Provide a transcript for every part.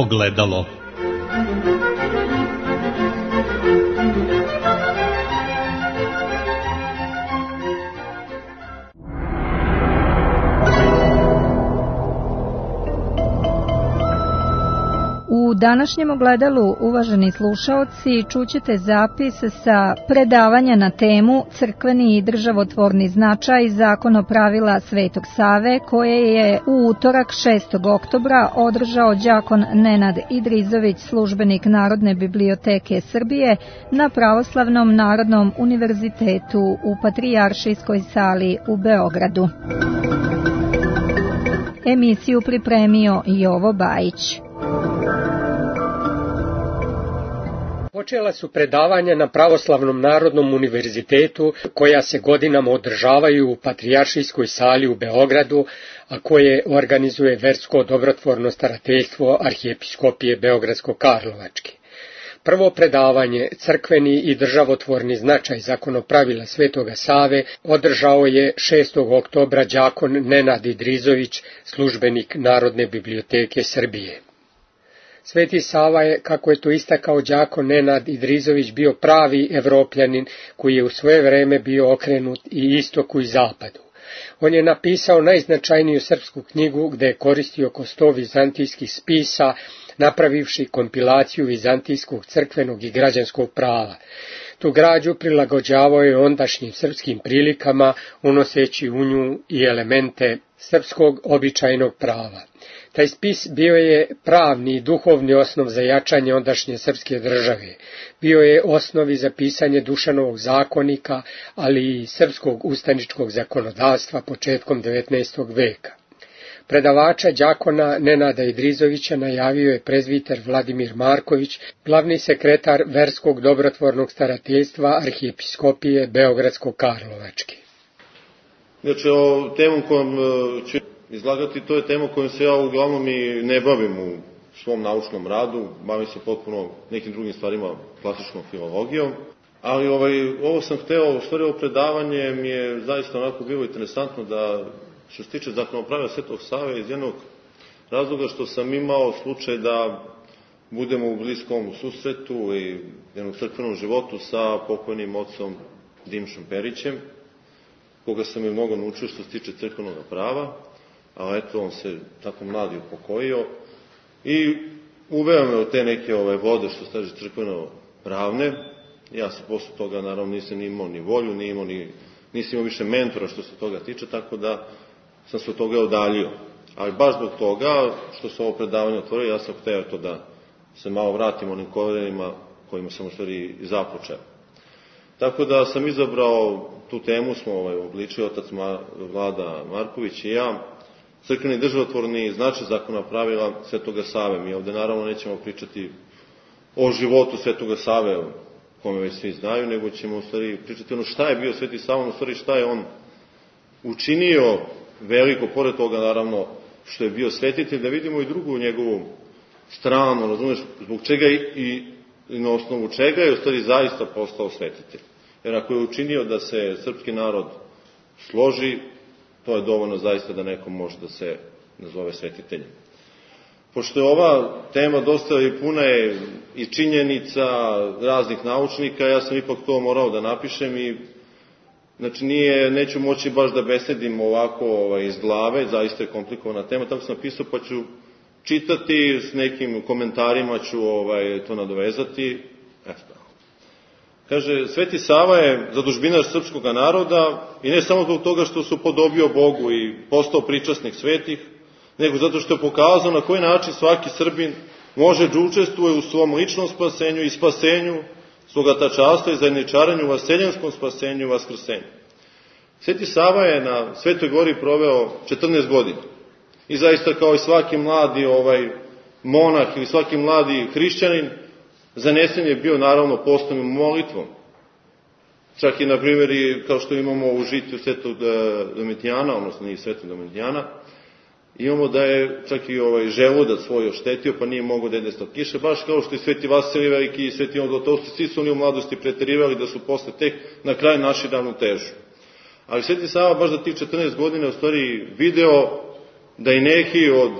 ogledalo. U današnjem ogledalu, uvaženi slušaoci, čućete zapis sa predavanja na temu Crkveni i državotvorni značaj zakonopravila Svetog Save, koje je u utorak 6. oktobra održao đakon Nenad Idrizović, službenik Narodne biblioteke Srbije, na Pravoslavnom Narodnom univerzitetu u Patrijaršijskoj sali u Beogradu. Emisiju pripremio Jovo Bajić. Počela su predavanja na Pravoslavnom Narodnom univerzitetu, koja se godinama održavaju u Patrijaršijskoj sali u Beogradu, a koje organizuje Versko dobrotvorno starateljstvo Arhijepiskopije Beogradsko-Karlovačke. Prvo predavanje, Crkveni i državotvorni značaj zakonopravila Svetoga Save, održao je 6. oktobra đakon Nenad Idrizović, službenik Narodne biblioteke Srbije. Sveti Sava je, kako je to istakao đakon Nenad Idrizović, bio pravi Evropljanin koji je u svoje vreme bio okrenut i istoku i zapadu. On je napisao najznačajniju srpsku knjigu gde je koristio oko 100 vizantijskih spisa, napravivši kompilaciju vizantijskog crkvenog i građanskog prava. Tu građu prilagođavao je ondašnjim srpskim prilikama, unoseći u nju i elemente srpskog običajnog prava. Taj spis bio je pravni i duhovni osnov za jačanje ondašnje srpske države. Bio je osnov i za pisanje Dušanovog zakonika, ali i srpskog ustaničkog zakonodavstva početkom 19. veka. Predavača đakona Nenada Idrizovića najavio je prezbiter Vladimir Marković, glavni sekretar Verskog dobrotvornog starateljstva Arhijepiskopije Beogradsko-Karlovačke. Znači, o temu kojom ću izlagati, to je tema kojom se ja uglavnom i ne bavim u svom naučnom radu, bavim se potpuno nekim drugim stvarima, klasičnom filologijom, ali ovo sam hteo, u stvari ovo predavanje mi je zaista onako bilo interesantno da, što se tiče zakonopravila Svetog Save, iz jednog razloga što sam imao slučaj da budemo u bliskom susretu i jednog crkvenom životu sa pokojnim ocom Dimšom Perićem, koga sam je mnogo naučio što se tiče crkvenog prava, a eto, on se tako mladi upokojio i uveo me u te neke vode, što se kaže crkveno pravne. Ja se posle toga, naravno, nisam imao ni volju, nisam imao više mentora što se toga tiče, tako da sam se od toga odaljio. Ali baš zbog toga što se ovo predavanje otvorio, ja sam hteo to da se malo vratim onim korenima kojima sam u stvari započeo. Tako da sam izabrao tu temu, smo obličili otac Vlada Marković i ja, crkveni državotvorni značaj zakonopravila Svetoga Save. Mi ovde naravno nećemo pričati o životu Svetoga Save, kome već svi znaju, nego ćemo u stvari pričati ono šta je bio Sveti Sava, u stvari šta je on učinio veliko, pored toga naravno što je bio svetitelj, da vidimo i drugu njegovu stranu, razumeš, zbog čega i na osnovu čega je u stvari zaista postao svetitelj. Jer ako je učinio da se srpski narod složi, to je dovoljno zaista da neko može da se nazove svetiteljem. Pošto je ova tema dosta i puna je i činjenica raznih naučnika, ja sam ipak to morao da napišem i znači neću moći baš da besedim ovako iz glave, zaista je komplikovana tema, tako sam napisao pa ću čitati, s nekim komentarima ću to nadovezati. Eto. Kaže, Sveti Sava je zadužbinar srpskog naroda i ne samo zbog toga što se upodobio Bogu i postao pričasnik svetih, nego zato što je pokazao na koji način svaki Srbin može da učestvuje u svom ličnom spasenju i spasenju svoga tačastva i zajedničarenju u vaseljenskom spasenju i vaskrsenju. Sveti Sava je na Svetoj gori proveo 14 godina i zaista kao i svaki mladi monah ili svaki mladi hrišćanin, zanesen je bio naravno postom i molitvom. Čak i, na primjer, kao što imamo u žitiju Svetog Domitijana, odnosno nije Svetog Domitijana, imamo da je čak i želudac svoj oštetio, pa nije mogao da jede od kiše, baš kao što i Sveti Vasilij Veliki i Sveti Ivan Zlatovsti, svi su oni u mladosti preterivali da su posle tek na kraju naši ravnotežu. Ali Sveti Sava baš za tih 14 godina u stvari video da i neki od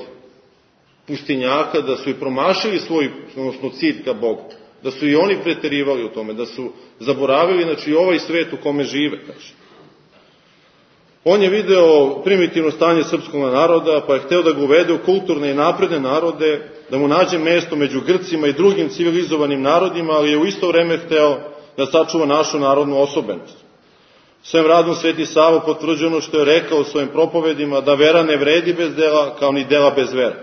pustinjaka, da su i promašili svoj, odnosno cilj ka Bogu, da su i oni preterivali u tome, da su zaboravili, znači, ovaj svet u kome žive, kaže. On je video primitivno stanje srpskog naroda, pa je hteo da ga uvede u kulturne i napredne narode, da mu nađe mesto među Grcima i drugim civilizovanim narodima, ali je u isto vreme hteo da sačuva našu narodnu osobenost. Svojim radom Sveti Sava potvrđuje ono što je rekao u svojim propovedima, da vera ne vredi bez dela, kao ni dela bez vera.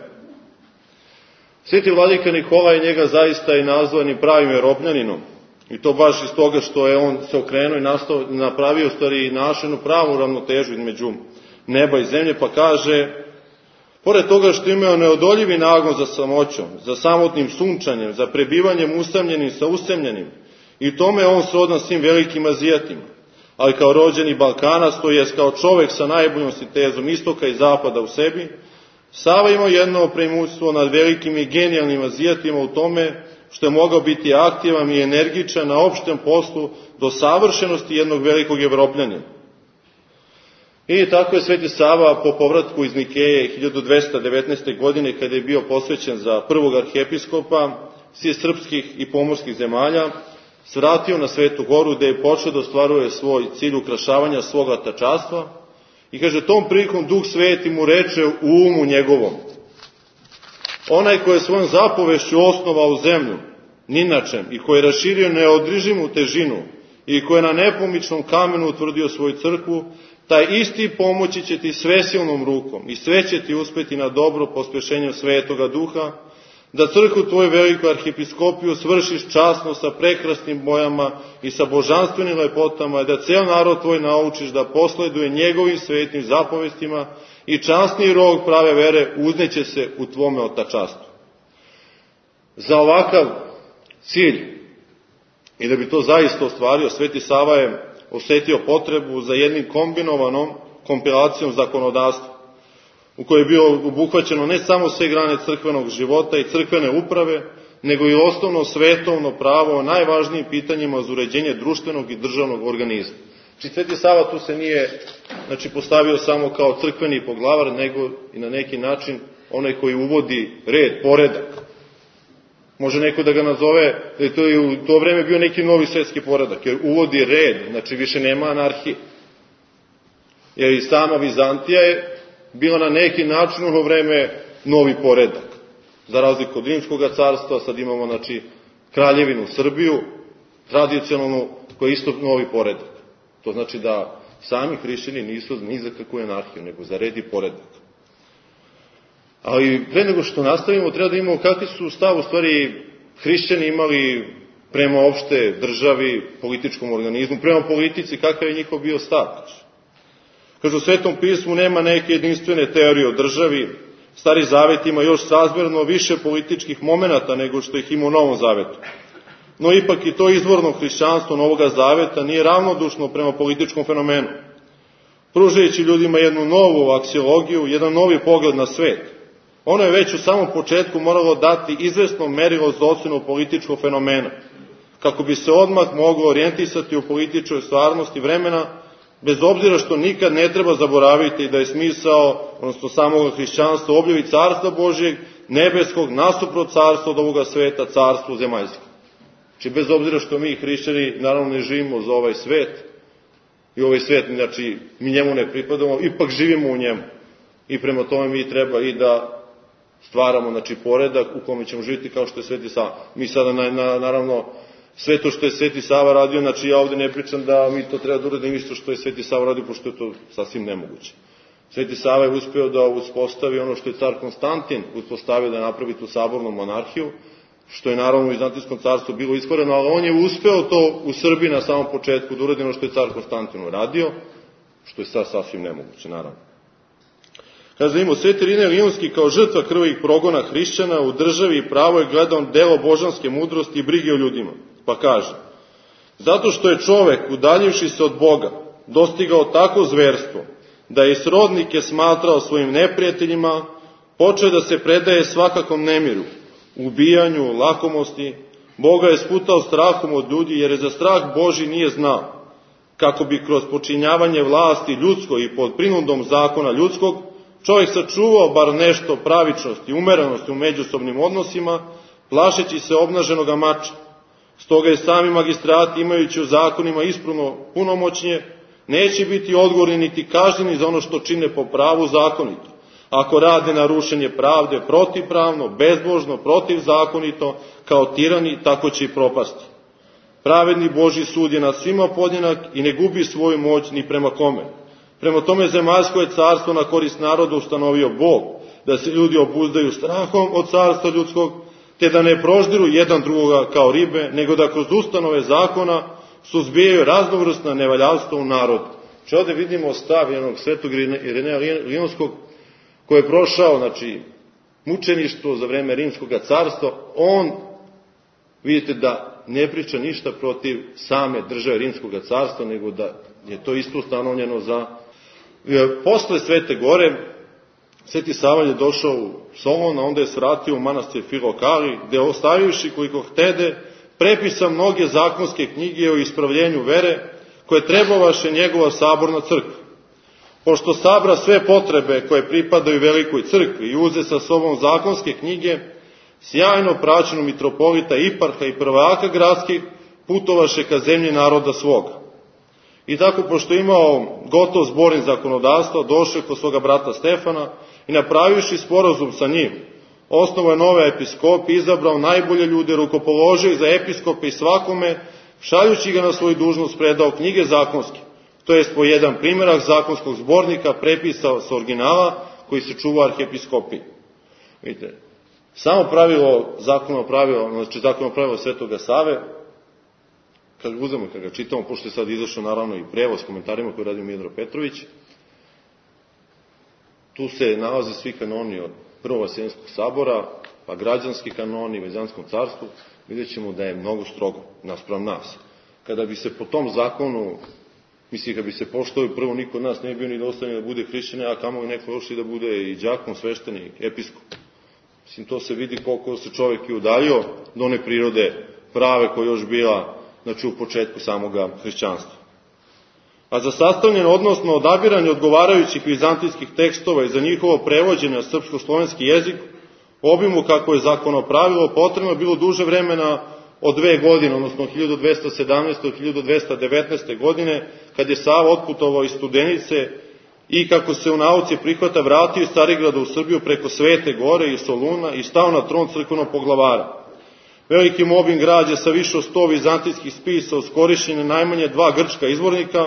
Sveti vladika Nikolaj njega zaista je nazvan i pravim veropljaninom, i to baš iz toga što je on se okrenuo i napravio stvari i našenu pravu ravnotežu između neba i zemlje, pa kaže, pored toga što imao neodoljivi nagon za samoćom, za samotnim sunčanjem, za prebivanjem usamljenim sa usemljenim, i tome on srodan svim velikim Azijatima, ali kao rođeni Balkanac, to jest kao čovek sa najboljom sintezom istoka i zapada u sebi, Sava imao jedno preimutstvo nad velikim i genijalnim Azijatima u tome što je mogao biti aktivan i energičan na opštem poslu do savršenosti jednog velikog Evropljanina. I tako je Sveti Sava po povratku iz Nikeje 1219. godine, kada je bio posvećen za prvog arhijepiskopa svih srpskih i pomorskih zemalja, svratio na Svetu Goru, gde je počeo da ostvaruje svoj cilj ukrašavanja svoga tačastva. I kaže, tom prilikom Duh Sveti mu reče u umu njegovom: onaj ko je svojom zapovešću osnovao zemlju, ninačem, i ko je raširio neodržimu težinu, i ko je na nepomičnom kamenu utvrdio svoju crkvu, taj isti pomoći će ti svesilnom rukom i sve će ti uspeti na dobro pospešenjem Svetoga Duha, da crkvu tvoju veliku arhijepiskopiju svršiš časno sa prekrasnim bojama i sa božanstvenim lepotama, da ceo narod tvoj naučiš da posleduje njegovim svetim zapovestima i časni rog prave vere uzneće se u tvome otačastvu. Za ovakav cilj, i da bi to zaista ostvario, Sveti Sava je osetio potrebu za jednim kombinovanom kompilacijom zakonodavstva, u kojoj je bio obuhvaćeno ne samo sve grane crkvenog života i crkvene uprave, nego i osnovno svetovno pravo o najvažnijim pitanjima za uređenje društvenog i državnog organizma. Znači, Sveti Sava tu se nije postavio samo kao crkveni poglavar, nego i na neki način onaj koji uvodi red, poredak. Može neko da ga nazove da je to i u to vreme bio neki novi svetski poredak, jer uvodi red, znači više nema anarhije. Jer i sama Vizantija je bila na neki način u vreme novi poredak. Za razliku od Rimskog carstva, sad imamo kraljevinu Srbiju, tradicionalnu, koja je isto novi poredak. To znači da sami hrišćani nisu ni za kakvu anarhiju, nego za red i poredak. Ali pre nego što nastavimo, treba da imamo kakvi su stav u stvari hrišćani imali prema opšte državi, političkom organizmu, prema politici, kakav je njihov bio stav. Kažu, u Svetom pismu nema neke jedinstvene teorije o državi, Stari Zavet ima još srazmerno više političkih momenata nego što ih ima u Novom Zavetu. No ipak i to izvorno hrišćanstvo Novoga Zaveta nije ravnodušno prema političkom fenomenu, pružajući ljudima jednu novu aksiologiju, jedan novi pogled na svet. Ono je već u samom početku moralo dati izvesno merilo za ocenu političkog fenomena, kako bi se odmah moglo orijentisati u političkoj stvarnosti vremena, bez obzira što nikad ne treba zaboraviti da je smisao, odnosno samog hrišćanstva, objavi carstva Božijeg, nebeskog, nasuprot carstva od ovoga sveta, carstvo zemaljsko. Znači, bez obzira što mi hrišćani naravno ne živimo za ovaj svet, i ovaj svet, znači, mi njemu ne pripadamo, ipak živimo u njemu. I prema tome mi treba i da stvaramo, poredak u kome ćemo živjeti kao što je Sveti Sava. Mi sada, naravno, sve to što je Sveti Sava radio, ja ovde ne pričam da mi to treba da uradimo isto što je Sveti Sava radio, pošto je to sasvim nemoguće. Sveti Sava je uspeo da uspostavi ono što je car Konstantin uspostavio, da napravi tu sabornu monarhiju, što je naravno u Vizantijskom carstvu bilo iskvareno, ali on je uspeo to u Srbiji na samom početku da uradi ono što je car Konstantin uradio, što je sad sasvim nemoguće, naravno. Kaže, imao Sveti Irinej Lionski kao žrtva krvavih progona hrišćana u državi i pravo je gledao delo božanske mudrosti i brige o ljudima. Pa kaže, zato što je čovek, udaljivši se od Boga, dostigao tako zverstvo, da je srodnike smatrao svojim neprijateljima, počeo da se predaje svakakom nemiru, ubijanju, lakomosti, Boga je sputao strahom od ljudi, jer je za strah Božji nije znao, kako bi kroz počinjavanje vlasti ljudskoj i pod prinudom zakona ljudskog, čovjek sačuvao bar nešto pravičnosti i umerenosti u međusobnim odnosima, plašeći se obnaženoga mača. Stoga je sami magistrati, imajući u zakonima ispravno punomoćnje, neće biti odgovorni niti kažnjeni za ono što čine po pravu zakonito. Ako rade na rušenje pravde protivpravno, bezbožno, protivzakonito, kao tirani, tako će i propasti. Pravedni Božji sud je nad svima podjednak i ne gubi svoju moć ni prema kome. Prema tome zemaljsko je carstvo na korist naroda ustanovio Bog, da se ljudi obuzdaju strahom od carstva ljudskog, te da ne proždiru jedan drugoga kao ribe, nego da kroz ustanove zakona suzbijaju raznovrsna nevaljalstva u narodu. Znači ovdje vidimo stav jednog svetog Ireneja Lionskog, koji je prošao, mučeništvo za vreme Rimskog carstva. On, vidite da ne priča ništa protiv same države Rimskog carstva, nego da je to isto ustanovljeno za... Posle Svete Gore, Sveti Sava je došao u Solon, a onda je svratio u manastir Filokali, gde ostavivši koliko htede, prepisa mnoge zakonske knjige o ispravljenju vere, koje trebavaše njegova saborna crkva. Pošto sabra sve potrebe koje pripadaju velikoj crkvi i uze sa sobom zakonske knjige, sjajno praćeno mitropolita, iparha i prvaka gradskih putovaše ka zemlji naroda svoga. I tako, pošto je imao gotov zborni zakonodavstva, došao kod svoga brata Stefana i napravivši sporazum sa njim, osnovao je nove episkope, izabrao najbolje ljude, rukopoložio ih za episkope i svakome, šaljući ga na svoju dužnost, predao knjige zakonske, to jest po jedan primjerak zakonskog zbornika prepisao sa originala koji se čuva arhiepiskopiji. Vidite, samo pravilo, zakonno pravilo Svetoga Save, kad ga uzemo, kad ga čitamo, pošto je sad izašao naravno i prevoz s komentarima koji radi Miodrag Petrović, tu se nalaze svi kanoni od Prvog Vaseljenskog sabora, pa građanski kanoni, Vezanskom carstvu, vidjet ćemo da je mnogo strogo naspram nas. Kada bi se po tom zakonu, kad bi se poštovio, prvo niko od nas ne bi bio ni dostojni da bude hrišćanin, a kamo i neko još i da bude i đakon, sveštenik, episkop. To se vidi koliko se čovjek i udaljio do one prirode prave koja je još bila, u početku samoga hrišćanstva. A za sastavljeno, odnosno odabiranje odgovarajućih vizantijskih tekstova i za njihovo prevođenje na srpsko-slovenski jezik, obimu kako je zakono pravilo, potrebno bilo duže vremena od 2 godine, odnosno 1217. do 1219. godine, kad je Sava otputovao iz Studenice i, kako se u nauci prihvata, vratio iz Carigrada u Srbiju preko Svete Gore i Soluna i stao na tron crkvenog poglavara. Veliki obim građe sa više od 100 vizantijskih spisa uz korišćenje najmanje 2 grčka izvornika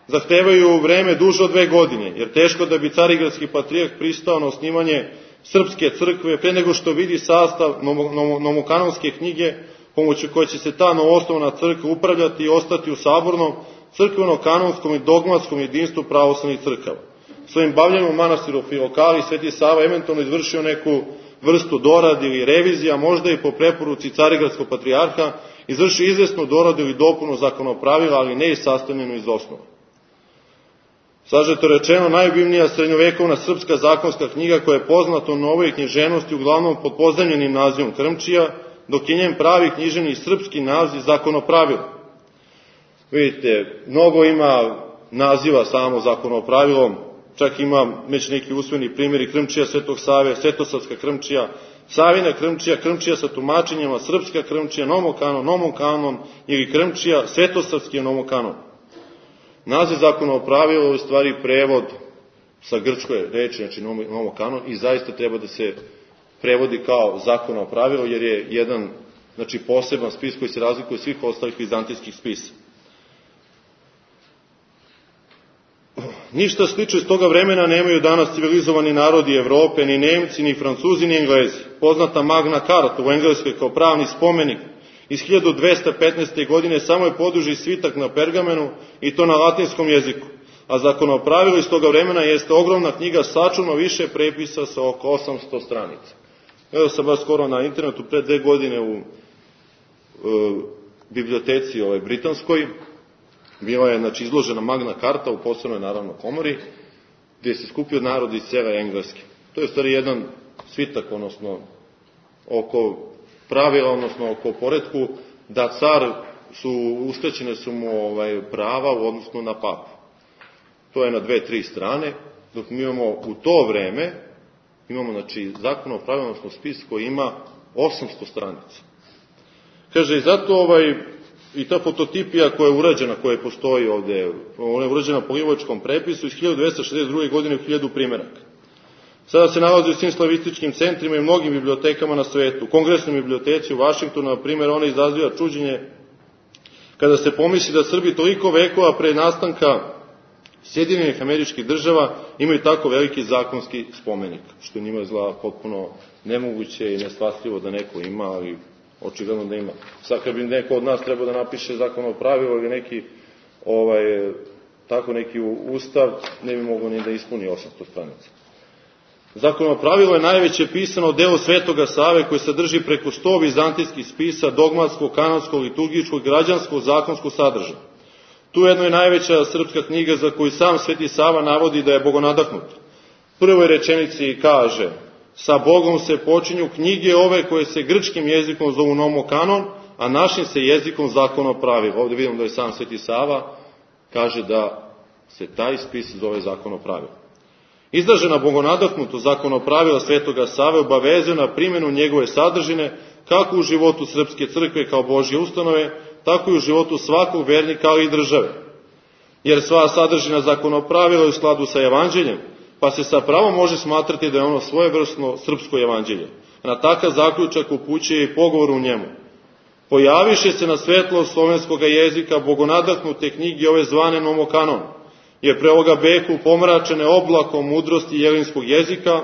zahtevaju vreme duže od 2 godine, jer teško da bi carigradski patrijarh pristao na osnivanje srpske crkve pre nego što vidi sastav nomokanonske knjige, pomoću koje će se ta novoosnovana crkva upravljati i ostati u sabornom, crkveno-kanonskom i dogmatskom jedinstvu pravoslavnih crkava. Svojim bavljenjem u manastiru Filokali Sveti Sava eventualno izvršio neku vrstu dorade ili revizija, možda i po preporuci carigradskog patrijarha, izvršio izvesnu doradu ili dopunu zakonopravila, ali ne i sastavljenu iz osnova. Sažeto rečeno, najobimnija srednjovekovna srpska zakonska knjiga koja je poznata u novoj književnosti uglavnom pod pozajmljenim nazivom Krmčija, dok je njen pravi književni srpski naziv Zakonopravilo. Vidite, mnogo ima naziva samo Zakonopravilom, čak ima već neki usvojeni primjeri Krmčija Svetog Save, Svetosavska Krmčija, Savina Krmčija, Krmčija sa tumačenjama, Srpska Krmčija, Nomokanon ili Krmčija, Svetosavski Nomokanon. Naziv Zakonopravilo je u stvari prevod sa grčke reči, Nomokanon, i zaista treba da se prevodi kao Zakonopravilo, jer je jedan poseban spis koji se razlikuje od svih ostalih vizantijskih spisa. Ništa slično iz toga vremena nemaju danas civilizovani narodi Evrope, ni Nemci, ni Francuzi, ni Englezi. Poznata Magna Carta u Engleskoj kao pravni spomenik iz 1215. godine samo je poduži svitak na pergamenu i to na latinskom jeziku, a Zakonopravilo iz toga vremena jeste ogromna knjiga sačuvno više prepisa sa oko 800 stranica. Evo sam baš skoro na internetu pre 2 godine u biblioteci britanskoj, bila je izložena Magna Carta u posebnoj naravno komori, gdje se skupio narod iz cele Engleske. To je u stvari jedan svitak, odnosno oko pravila, odnosno oko poretku, da car uskraćene su mu prava u odnosu na papu. To je na 2-3 strane dok mi imamo u to vreme, imamo, znači, zakon o pravilnom spis koji ima 800 stranica. Kaže, i zato i ta fototipija koja je urađena, koja postoji ovde, ona je urađena po Livovačkom prepisu iz 1262. godine u 1000 primeraka. Sada se nalazi u svim slavističkim centrima i mnogim bibliotekama na svetu. U Kongresnoj biblioteci u Vašingtonu, na primjer, ona izaziva čuđenje kada se pomisli da Srbi toliko vekova pre nastanka Sjedinjenih Američkih Država imaju tako veliki zakonski spomenik, što njima izgleda potpuno nemoguće i neshvatljivo da neko ima, ali očigledno da ima. Sad kad bi neko od nas trebao da napiše zakon o pravilu ili neki tako neki ustav, ne bi mogao ni da ispuni 800 stranica. Zakon o pravilu je najveće pisano delo Svetoga Save koje sadrži preko 100 vizantijskih spisa dogmatskog, kanonskog, liturgičkog, građanskog, zakonskog sadržaja. Tu jedno je najveća srpska knjiga za koju sam Sveti Sava navodi da je bogonadahnut. Prvoj rečenici kaže: sa Bogom se počinju knjige ove koje se grčkim jezikom zovu nomokanon, a našim se jezikom zakono pravilo. Ovde vidimo da je sam Sveti Sava kaže da se taj spis zove zakono pravilo. Izražena bogonadahnuto zakono pravila Svetoga Save obavezuje na primjenu njegove sadržine kako u životu Srpske crkve kao Božje ustanove, tako i u životu svakog vernika, ali i države. Jer sva sadržina zakonopravila je u skladu sa evanđeljem, pa se sa pravom može smatrati da je ono svojevrsno srpsko evanđelje. Na takav zaključak upućuje i pogovor u njemu. Pojaviše se na svetlo slovenskog jezika bogonadahnute knjige ove zvane nomokanon, jer pre ovoga beku pomračene oblakom mudrosti jelinskog jezika,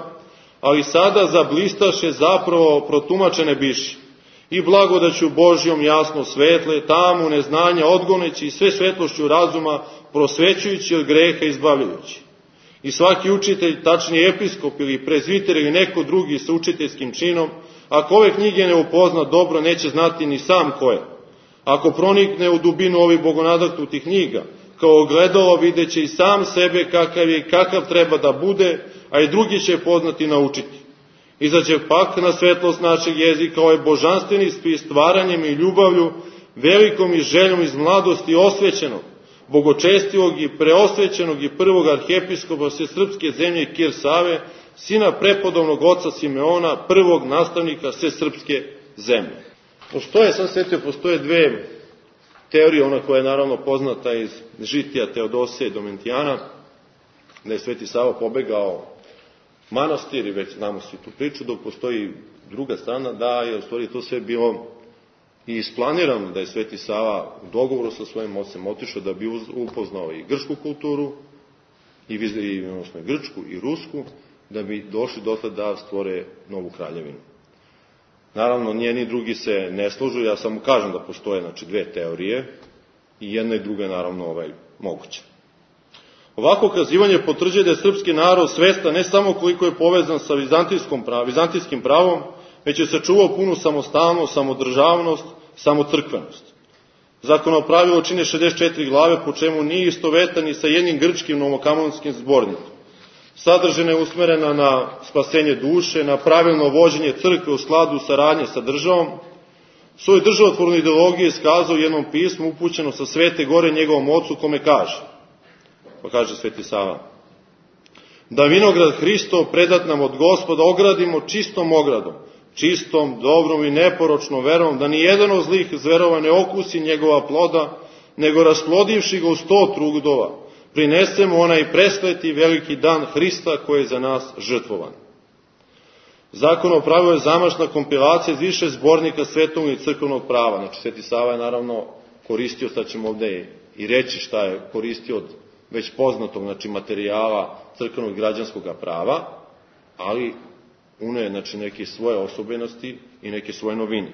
ali sada zablistaše zapravo protumačene biši. I blagodaću Božjom jasno svetle, tamu neznanja odgoneći i sve svetlošću razuma prosvećujući od greha izbavljajući. I svaki učitelj, tačniji episkop ili prezviter ili neko drugi sa učiteljskim činom, ako ove knjige ne upozna dobro, neće znati ni sam ko je. Ako pronikne u dubinu ovih bogonadahnutih knjiga, kao ogledalo videće i sam sebe kakav je i kakav treba da bude, a i drugi će poznati i naučiti. Izađe pak na svetlost našeg jezika ovaj božanstveni spis stvaranjem i ljubavlju, velikom i željom iz mladosti osvećenog, bogočestivog i preosvećenog i prvog arhijepiskopa sve srpske zemlje Kir Save, sina prepodobnog oca Simeona, prvog nastavnika sve srpske zemlje. Postoje dve teorije, ona koja je naravno poznata iz žitija Teodosije i Domentijana, da je Sveti Sava pobegao manastir, i već znamo svi tu priču, dok postoji druga strana da je u stvari to sve bilo i isplanirano, da je Sveti Sava u dogovoru sa svojim ocem otišao da bi upoznao i grčku kulturu, odnosno grčku i rusku, da bi došli dotle da stvore novu kraljevinu. Naravno, njeni drugi se ne služu, ja samo kažem da postoje dve teorije i jedna i druga je naravno moguća. Ovako kazivanje potvrđuje da je srpski narod svestan ne samo koliko je povezan sa vizantijskim pravom, već je sačuvao punu samostalnost, samodržavnost, samocrkvenost. Zakonopravilo čine 64 glave, po čemu nije istovetan ni sa jednim grčkim novokamonskim zbornikom. Sadržina je usmerena na spasenje duše, na pravilno vođenje crkve u skladu saradnje sa državom. Svoj državotvornu ideologiju je iskazao u jednom pismu upućeno sa Svete Gore njegovom ocu, kome kaže, pa kaže Sveti Sava: da vinograd Hristov predat nam od Gospoda ogradimo čistom ogradom, čistom, dobrom i neporočnom verom, da ni jedan od zlih zverova ne okusi njegova ploda, nego rasplodivši ga u 100 trudova, prinesemo onaj presleti veliki dan Hrista koji je za nas žrtvovan. Zakon o pravu je zamašna kompilacija iz više zbornika svetovnog i crkvenog prava. Znači, Sveti Sava je naravno koristio, sad ćemo ovde i reći šta je koristio od već poznatog, materijala crkvenog i građanskog prava, ali uneo je, neke svoje osobenosti i neke svoje novine.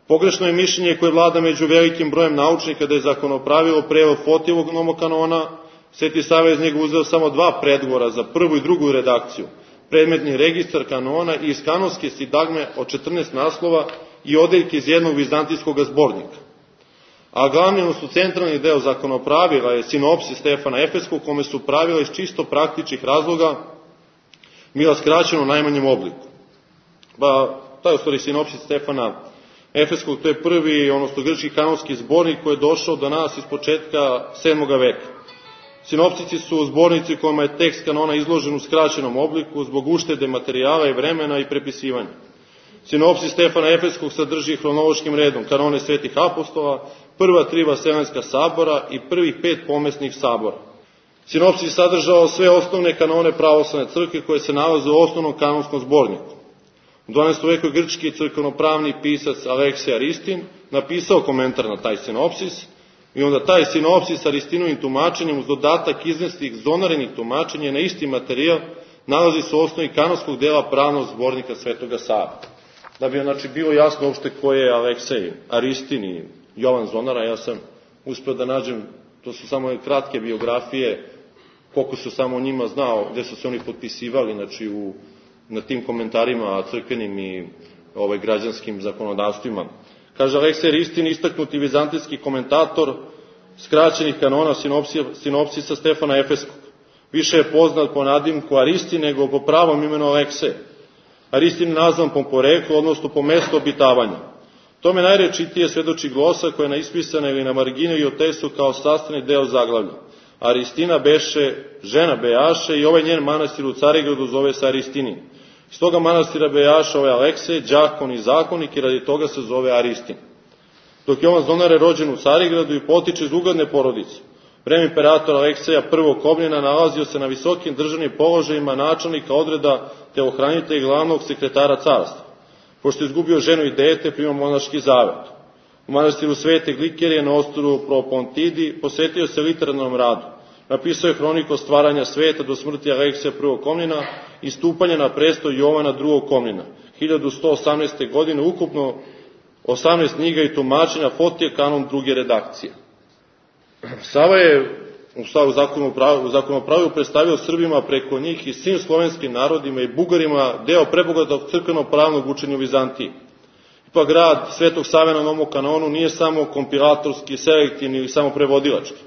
Pogrešno je mišljenje koje vlada među velikim brojem naučnika da je zakonopravilo prevod Fotijevog nomokanona. Sveti Sava iz njega uzeo samo 2 predgovora za prvu i drugu redakciju, predmetni registar kanona i iz kanonske sidagme od 14 naslova i odeljke iz jednog vizantijskog zbornika. A glavni, odnosno centralni deo zakonopravila je sinopsis Stefana Efeskog, kome su pravila iz čisto praktičnih razloga bila skraćena u najmanjem obliku. Taj je u stvari sinopsis Stefana Efeskog, to je prvi, odnosno grčki kanonski zbornik koji je došao do nas iz početka 7. veka. Sinopsici su zbornici kojima je tekst kanona izložen u skraćenom obliku zbog uštede materijala i vremena i prepisivanja. Sinopsis Stefana Efeskog sadrži hronološkim redom kanone svetih apostola, prva 3 vaseljenska sabora i prvih 5 pomesnih sabora. Sinopsis sadržao sve osnovne kanone pravoslavne crkve koje se nalaze u osnovnom kanonskom zborniku. U 12. veku grčki crkvenopravni pisac Aleksej Aristin napisao komentar na taj sinopsis i onda taj sinopsis Aristinovim tumačenjem uz dodatak izneslih zonarenih tumačenja na isti materijal nalazi se u osnovi kanonskog dela pravnog zbornika Svetoga Save. Da bi znači bilo jasno uopšte ko je Aleksej Aristin i Jovan Zonara, ja sam uspeo da nađem, to su samo kratke biografije, koliko su samo o njima znao, gde su se oni potpisivali, znači na tim komentarima crkvenim i građanskim zakonodavstvima. Kaže Aleksej Aristin, istaknuti vizantijski komentator skraćenih kanona sinopsisa Stefana Efeskog. Više je poznat po nadimku Aristin nego po pravom imenu Aleksej. Aristin je nazvan po poreklu, odnosno po mestu obitavanja. Tome najrečitije svedoči glosa koja je naispisana ili na margini i otesu kao sastavni deo zaglavlja. Aristina beše žena Bejaše i ovaj njen manastir u Carigradu zove se Aristinin. Iz toga manastira Bejaša ovaj Aleksej, đakon i zakonik i radi toga se zove Aristin. Dok je Jovan Zonar je rođen u Carigradu i potiče iz ugledne porodice. Vreme imperatora Alekseja I. Kobnjena nalazio se na visokim državnim položajima načelnika odreda telohranitelja i glavnog sekretara carstva. Pošto je izgubio ženu i dete, primao monaški zavet. U manastiru Svete Glikerije na ostrvu Propontidi posvetio se literarnom radu. Napisao je hroniku stvaranja sveta do smrti Alekseja I. Komnjena i stupanja na presto Jovana II. Komnjena. 1118. godine ukupno 18 knjiga i tumačenja Fotije kanon druge redakcije. Sava je u zakonopravlju predstavio Srbima preko njih i svim slovenskim narodima i Bugarima deo prebogatog crkveno-pravnog učenja u Vizantiji. Ipak rad Svetog Save na novom kanonu nije samo kompilatorski, selektivni ili samo prevodilački.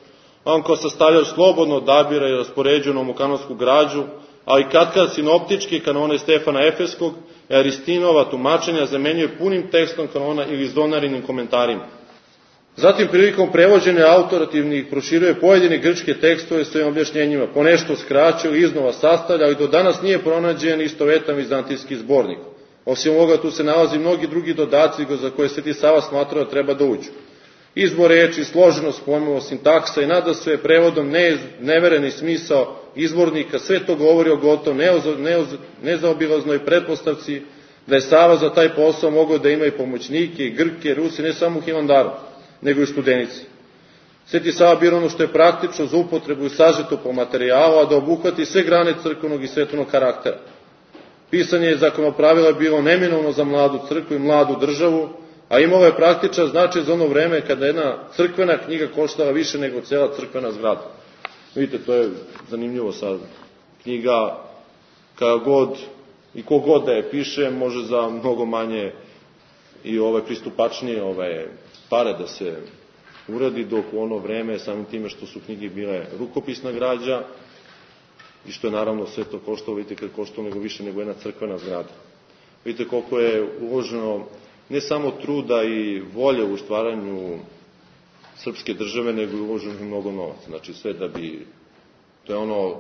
On kao sastavljač slobodno odabira i raspoređuje novokanonsku građu, ali katkad sinoptički kanone Stefana Efeskog i Aristinova tumačenja zamenjuje punim tekstom kanona ili zonarinim komentarima. Zatim prilikom prevođenja autorativnih proširuje pojedine grčke tekstove svojim objašnjenjima, ponešto skraćuje ili iznova sastavlja, ali do danas nije pronađen istovetan vizantijski zbornik. Osim ovoga tu se nalazi mnogi drugi dodaci za koje Sveti Sava smatrao da treba da uđu. Izbor reči, složenost pojmova, sintaksa i nadasve prevodom nevereni smisao izvornika, sve to govori o gotovo nezaobilaznoj pretpostavci da je Sava za taj posao mogao da ima i pomoćnike, i Grke, Rusi, ne samo u Hilandaru, nego i u Studenici. Sveti Sava bira ono što je praktično za upotrebu i sažeto po materijalu, a da obuhvati sve grane crkvenog i svetovnog karaktera. Pisanje zakonopravila je bilo neminovno za mladu crkvu i mladu državu, a imalo je praktičan značaj za ono vreme kada jedna crkvena knjiga koštala više nego cela crkvena zgrada. Vidite, to je zanimljivo sad. Knjiga, kada god i kogod da je piše, može za mnogo manje i pristupačnije pare da se uradi, dok u ono vreme, samim time što su knjige bile rukopisna građa i što je naravno sve to koštalo, vidite kad koštalo nego više nego jedna crkvena zgrada. Vidite koliko je uloženo ne samo truda i volje u stvaranju srpske države, nego je uloženo mnogo novaca. Znači sve da bi, to je ono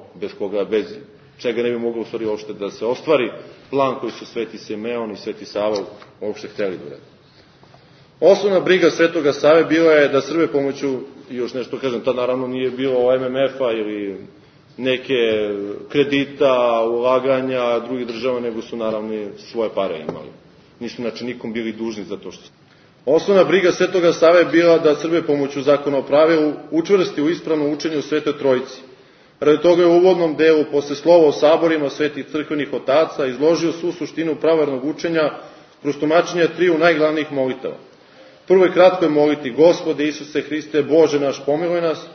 bez čega ne bi moglo u stvari uopšte da se ostvari plan koji su Sveti Simeon i Sveti Sava uopšte hteli da urede. Osnovna briga Svetoga Save bila je da Srbe pomoću, još nešto kažem, tad naravno nije bilo MMF-a ili neke kredita, ulaganja drugih država, nego su naravno svoje pare imali. Nisu znači nikom bili dužni za to što su. Osnovna briga Svetoga Save je bila da Srbe pomoću zakonopravilu učvrsti u ispravnom učenju Svetoj Trojici. Radi toga je u uvodnom delu, posle slova o saborima svetih crkvenih otaca, izložio svu suštinu pravernog učenja kroz tumačenje triju najglavnijih molitava. Prvo je kratko je moliti: Gospode Isuse Hriste, Bože naš, pomiluj nas.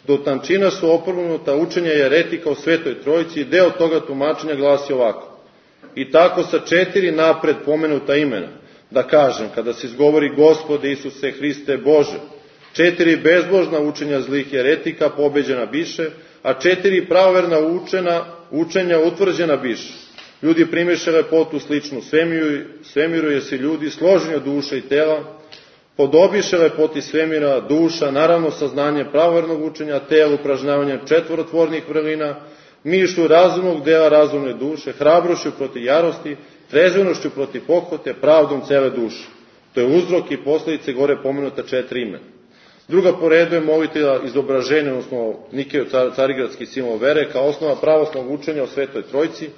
Do tančina su oprnuta učenja jeretika o Svetoj Trojici i deo toga tumačenja glasi ovako: I tako sa 4 napred pomenuta imena, da kažem, kada se izgovori Gospode Isuse Hriste, Bože, 4 bezbožna učenja zlih jeretika pobeđena biše, a 4 pravoverna učenja utvrđena biše. Ljudi primiše lepotu sličnu svemiru, jer se ljudi složeni od duše i tela, Podobiše lepoti svemira, duša, naravno saznanje pravovernog učenja, telo upražnjavanje četvorotvornih vrlina, mišlju razumnog dela razumne duše, hrabrošću protiv jarosti, trezvenošću protiv pohvate, pravdom cele duše. To je uzrok i posljedice gore pomenuta 4 imena. Druga po redu je molitva izobraženja, odnosno Nikejo carigradski simbol vere, kao osnova pravoslavnog učenja o Svetoj Trojci,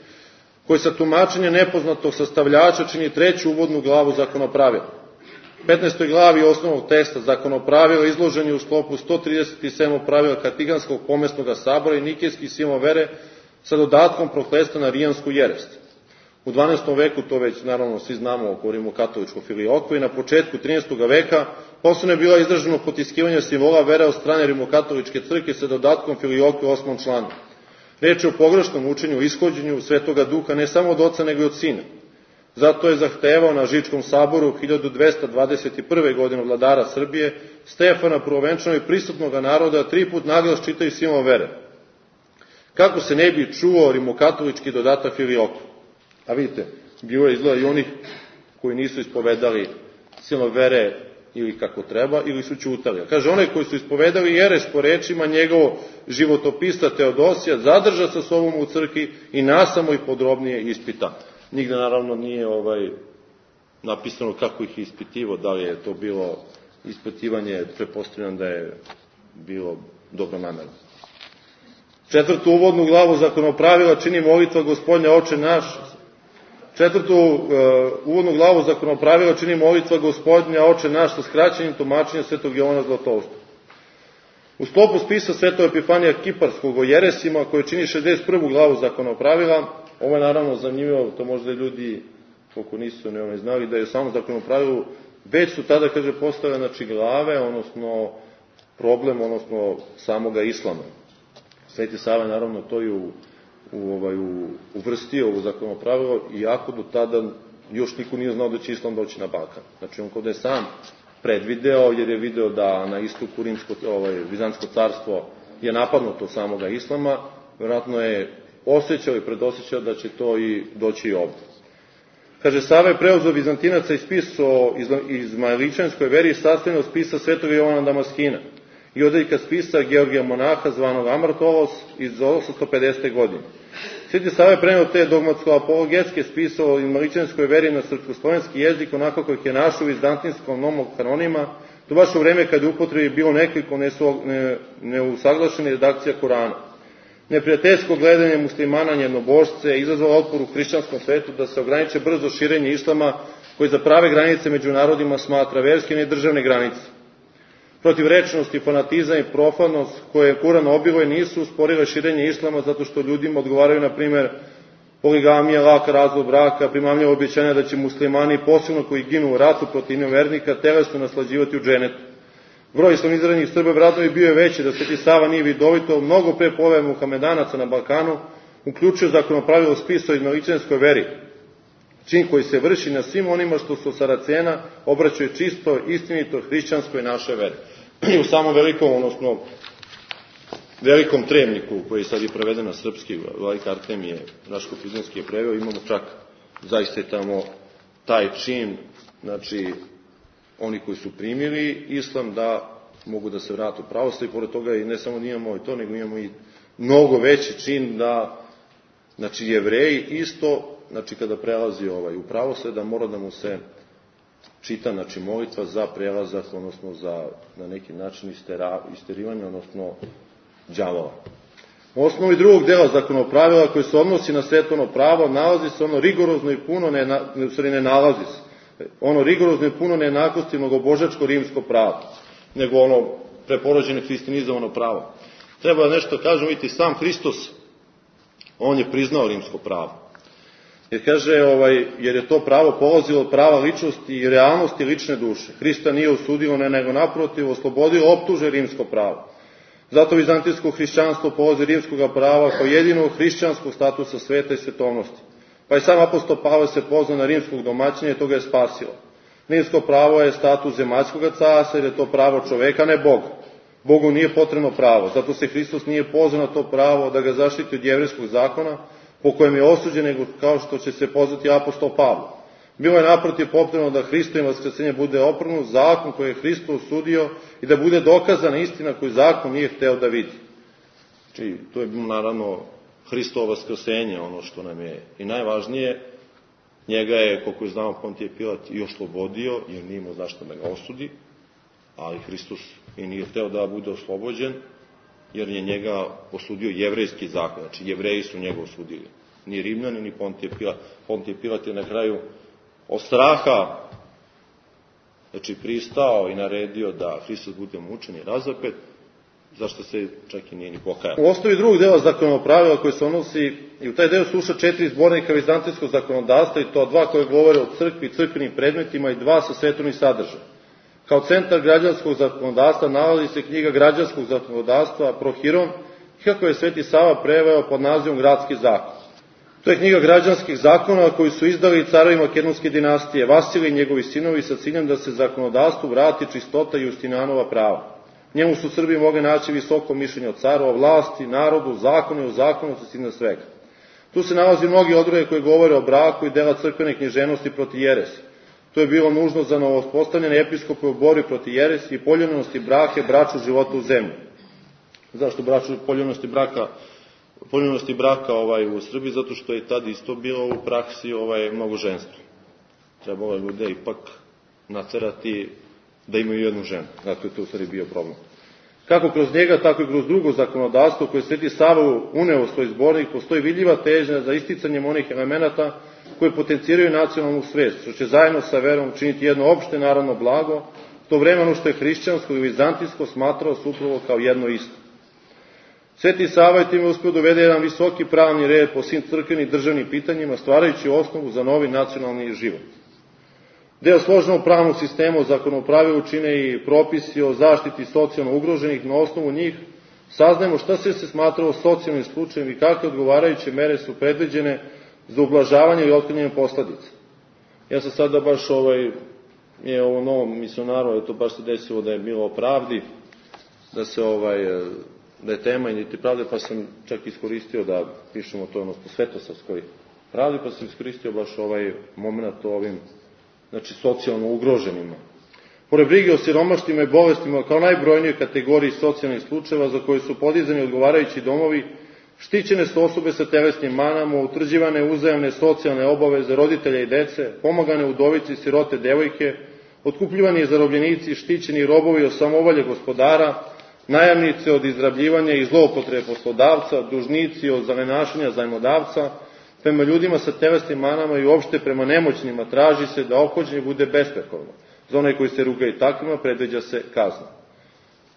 koji sa tumačenja nepoznatog sastavljača čini 3. uvodnu glavu zakonopravila. 15. glavi osnovnog teksta zakonopravila izložen je u sklopu 137. pravila Katiganskog pomesnog sabora i Nikejski simbol vere sa dodatkom prokletstva na rijansku jerest. U 12. veku, to već naravno svi znamo, govorimo o katoličkoj filiokvi, na početku 13. veka posebno je bila izraženo potiskivanje simbola vere od strane rimokatoličke crkve sa dodatkom filiokve 8. članu. Reč je o pogrešnom učenju, ishođenju Svetoga Duha ne samo od oca nego i od sina. Zato je zahtevao na Žičkom saboru 1221. godine vladara Srbije Stefana Prvovenčanog i prisutnog naroda 3 put naglas čitaju simbol vere. Kako se ne bi čuo rimokatolički dodatak filiokve? A vidite, bilo je izgleda i onih koji nisu ispovedali simbol vere ili kako treba, ili su ćutali. Kaže, one koji su ispovedali jeres po rečima njegovog životopisa Teodosija zadrža sa sobom u crkvi i nasamo i podrobnije ispita. Nigde naravno nije napisano kako ih je ispitivo, da li je to bilo ispitivanje, pretpostavljam da je bilo dobro namerno. 4. uvodnu glavu zakonopravila čini molitva Gospodnja Oče naš. 4. uvodnu glavu zakonopravila čini molitva Gospodnja Oče naš sa skraćenim tumačenjem Svetog Jovana Zlatoustog. U sklopu spisa Svetog Epifanija Kiparskog o jeresima, koje čini 61. glavu zakonopravila, ovo je naravno zanimljivo, to možda ljudi, koliko nisu ne znali, da je samo zakonopravilu, već su tada, kaže, postale, znači, glave, odnosno problem, odnosno samoga islama. Sveti Sava, naravno, to je uvrstio u zakonopravilo, iako do tada još niko nije znao da će islam doći na Balkan. Znači, on kod je sam predvideo, jer je video da na istoku Vizantsko carstvo je napadnuto od samoga islama, vjerojatno je osjećao i predosjećao da će to i doći i ovdje. Kaže, Sava je preuzeo Vizantinaca i spis o izmaeličanskoj veri sastavljen od spisa Svetog Jovana Damaskina i odeljka spisa Georgija Monaha zvanog Amartolos iz 850. godine. Sveti Sava je preneo te dogmatsko-apologetske spise o izmaeličanskoj veri na srpsko-slovenski jezik onako kojih je našao u vizantinskom nomokanonima, to baš u vreme kada je upotrebi bilo nekoliko neusaglašenih redakcija Korana. Neprijateljsko gledanje muslimana na jednobožce je izazvalo otpor u hrišćanskom svetu da se ograniče brzo širenje islama koji za prave granice među narodima smatra verske i državne granice. Protivrečnost, fanatizam i profanost koje Kuran obiluje nisu usporile širenje islama zato što ljudima odgovaraju, na primjer, poligamija, lak razvod braka, primamljivo obećanja da će muslimani, posebno koji ginu u ratu protiv nevernika, telesno naslađivati u dženetu. Broj islamiziranih Srba vratno bi bio veći da Sveti Sava nije vidovito, mnogo pre pojave Muhamedanaca na Balkanu, uključio zakonopravilo spisa o izmaeličanskoj veri, čin koji se vrši na svim onima što su Saracena obraćaju čisto, istinito, hrišćanskoj naše vere. I u samom velikom tremniku, koji je sad i preveden na srpski, Vladika Artemije, naš Kopizanski je preveo, imamo čak zaista tamo taj čin, znači, oni koji su primili islam da mogu da se vrate u pravoslavlje, i pored toga i ne samo imamo i to, nego imamo i mnogo veći čin da, znači, Jevreji isto, znači, kada prelazi u pravoslavlje, da mora da mu se čita, znači, molitva za prelazak, odnosno za, na neki način, isterivanje, odnosno đavola. U osnovi drugog dela zakonopravila koji se odnosi na svetovno pravo, nalazi se ono rigorozno i puno, ne nalazi se, ono rigorozno i puno nejednakosti mnogobožačko rimsko pravo, nego ono preporođeno hristijanizovano pravo. Treba nešto kažem, vidite, sam Hristos, on je priznao rimsko pravo. Jer kaže, jer je to pravo polazilo od prava ličnosti i realnosti lične duše. Hrista nije osudilo, nego naprotiv, oslobodilo optuže rimsko pravo. Zato vizantijsko hrišćanstvo polazi rimskog prava kao jedinog hrišćanskog statusa sveta i svetovnosti. Pa i sam apostol Pavle se pozvao na rimskog domaćina i to ga je spasilo. Rimsko pravo je status zemaljskog carstva, jer je to pravo čoveka, ne Boga. Bogu nije potrebno pravo, zato se Hristos nije pozvao na to pravo da ga zaštiti od jevrejskog zakona, po kojem je osuđen, nego kao što će se pozvati apostol Pavle. Bilo je naprotiv potrebno da Hristovo vaskrsenje bude opravdano zakon koji je Hristo osudio i da bude dokazana istina koju zakon nije hteo da vidi. Znači, to je bilo naravno Hristovo vaskrsenje, ono što nam je i najvažnije. Njega je, koliko je znao Pontije Pilat, i oslobodio, jer nije imao zašto da ga osudi, ali Hristos i nije hteo da bude oslobođen, jer je njega osudio jevrejski zakon, znači jevreji su njega osudili. Ni Rimljani, ni Pontije Pilat. Pontije Pilat je na kraju od straha, znači pristao i naredio da Hristos bude mučen i razapet, zašto se čak i nije ni pokajao. U osnovi drugog dela zakonopravila koji se odnosi, i u taj deo sluša 4 zbornika vizantijskog zakonodavstva, i to 2 koje govore o crkvi i crkvenim predmetima i 2 sa svetovnim sadržajem. Kao centar građanskog zakonodavstva nalazi se knjiga građanskog zakonodavstva Prohiron, kako je Sveti Sava preveo pod nazivom Gradski zakon. To je knjiga građanskih zakona koji su izdali carovi makedonske dinastije, Vasilij i njegovi sinovi, sa ciljem da se zakonodavstvu vrati čistota Justinanova prava. Njemu su Srbi mogli naći visoko mišljenje od carova, vlasti, narodu, zakonu i o zakonitosti iznad svega. Tu se nalazi mnogi odredbe koje govore o braku i dela crkvene književnosti protiv jeresi. To je bilo nužno za novospostavljene episkope u borbi protiv jeresi i poljubljenosti braka i bračnog života u zemlji. Zašto poljubljenosti braka u Srbiji? Zato što je tad isto bilo u praksi mnogoženstvo. Trebalo je ljude ipak naterati da imaju jednu ženu. Zato je to u stvari bio problem. Kako kroz njega, tako i kroz drugo zakonodavstvo koje Sveti Sava uneo u svoj zbornik, postoji vidljiva težnja za isticanjem onih elemenata koje potenciraju nacionalnu svest, što će zajedno sa verom činiti jedno opšte narodno blago, to vremenu što je hrišćansko i vizantijsko smatrao se upravo kao jedno isto. Sveti Sava je time uspeo dovede jedan visoki pravni red po svim crkvenim državnim pitanjima, stvarajući osnovu za novi nacionalni život. Deo složenog pravnog sistema o zakonopravilu čine i propisi o zaštiti socijalno ugroženih. Na osnovu njih saznajemo šta sve se smatralo socijalnim slučajem i kakve odgovarajuće mere su predviđene za ublažavanje i otklanjanje posledica. Ja sam sada baš je ovo novom misionaru, je to baš se desilo da je bilo o pravdi, da je tema i pravde, pa sam čak iskoristio da pišemo to po svetosavskoj pravdi, pa sam iskoristio baš ovaj moment o ovim, znači socijalno ugroženima. Pored brige o siromaštima i bolestima kao najbrojnijoj kategoriji socijalnih slučajeva za koje su podizani odgovarajući domovi, štićene su osobe sa telesnim manama, utvrđivane uzajamne socijalne obaveze roditelja i dece, pomagane udovice i sirote devojke, otkupljivani zarobljenici, štićeni robovi od samovolje gospodara, najamnice od izrabljivanja i zloupotrebe poslodavca, dužnici od zalenašanja zajmodavca, prema ljudima sa telesnim manama i uopšte prema nemoćnima traži se da ophođenje bude besprekorno. Za one koji se rugaju takvima predviđa se kazna.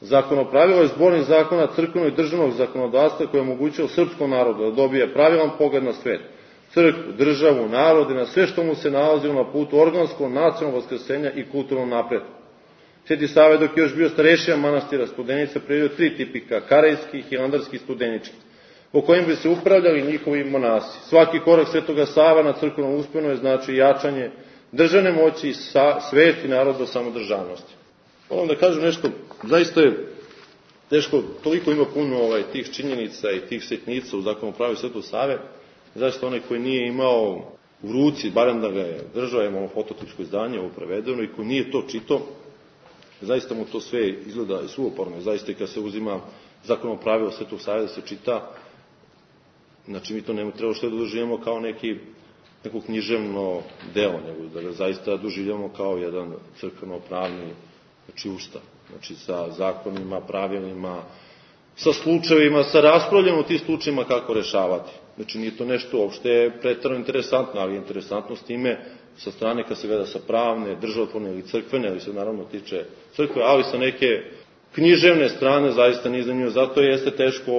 Zakonopravilo je zbornik zakona crkvenog i državnog zakonodavstva koje je omogućilo srpskom narodu da dobije pravilan pogled na svet, crkvu, državu, narod i na sve što mu se nalazilo na putu organskog, nacionalnog vaskrsenja i kulturnog napretka. Sveti Sava, dok je još bio starešija manastira Studenica, predvidio 3 tipika, karejski, hilandarski i studenički, po kojim bi se upravljali njihovi monasi. Svaki korak Svetoga Sava na crkvenom usponu je znači jačanje državne moći i svesti naroda samodržavnosti. Moram da kažem nešto, zaista je teško, toliko ima puno tih činjenica i tih sitnica u zakonopraviju Svetog Save, zaista onaj koji nije imao u ruci, barem da ga je držao, imamo fototičko izdanje, ovo prevedeno, i ko nije to čitao, zaista mu to sve izgleda suvoporno. Zaista i kad se uzima zakonopravilo Svetog Save da se čita, znači mi to ne treba što da doživljamo kao neko književno delo, nego da ga zaista doživljamo kao jedan crkveno-pravni, znači ustav, znači sa zakonima, pravilima, sa slučajevima, sa raspravljanjem o tih slučajima kako rešavati. Znači nije to nešto uopšte preterano interesantno, ali je interesantno s time sa strane kad se gleda sa pravne, državotvorne ili crkvene, ali se naravno tiče crkve, ali sa neke književne strane zaista nije zanimljivo. Zato jeste teško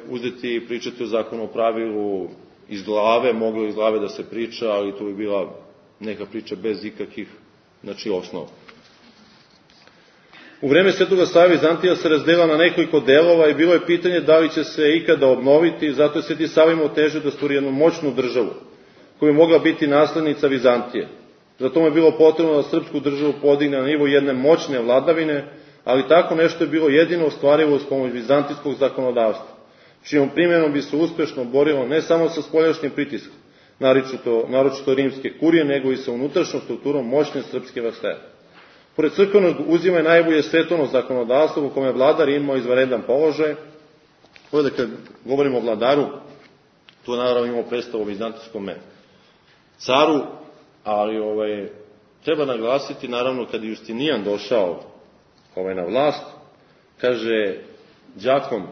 uzeti i pričati o zakonu o pravilu iz glave, moglo iz glave da se priča, ali to bi bila neka priča bez ikakvih, znači, osnova. U vreme Svetoga Save Vizantija se razdelila na nekoliko delova i bilo je pitanje da li će se ikada obnoviti, zato je Sveti Sava imao težnju da stvori jednu moćnu državu koja je mogla biti naslednica Vizantije. Zato mu je bilo potrebno da srpsku državu podigne na nivo jedne moćne vladavine, ali tako nešto je bilo jedino ostvarivo uz pomoć vizantijskog zakonodavstva, čijom primjenom bi se uspešno borilo ne samo sa spoljašnjim pritiskom, naročito rimske kurije, nego i sa unutrašnjom strukturom moćne srpske vlasti. Pored crkvenog uzima najbolje svetovno zakonodavstvo u kome je vladar imao izvanredan položaj. Ovdje kad govorimo o vladaru, tu naravno imamo predstavu o vizantijskom caru, ali treba naglasiti, naravno, kad je Justinijan došao na vlast, kaže, đakom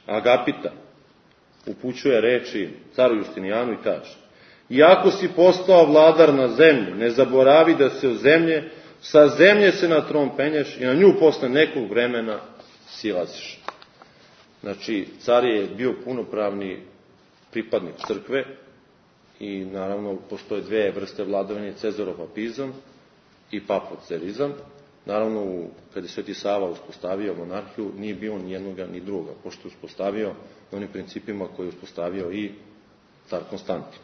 Agapita upućuje reči caru Justinijanu i kaže: iako si postao vladar na zemlji, ne zaboravi da se sa zemlje se na tron penješ i na nju posle nekog vremena silaziš. Znači, car je bio punopravni pripadnik crkve i naravno postoje dve vrste vladavine, cezaropapizam i papocerizam. Naravno, kad je Sveti Sava uspostavio monarhiju, nije bilo ni jednoga ni druga, pošto je uspostavio na onim principima koje je uspostavio i car Konstantin.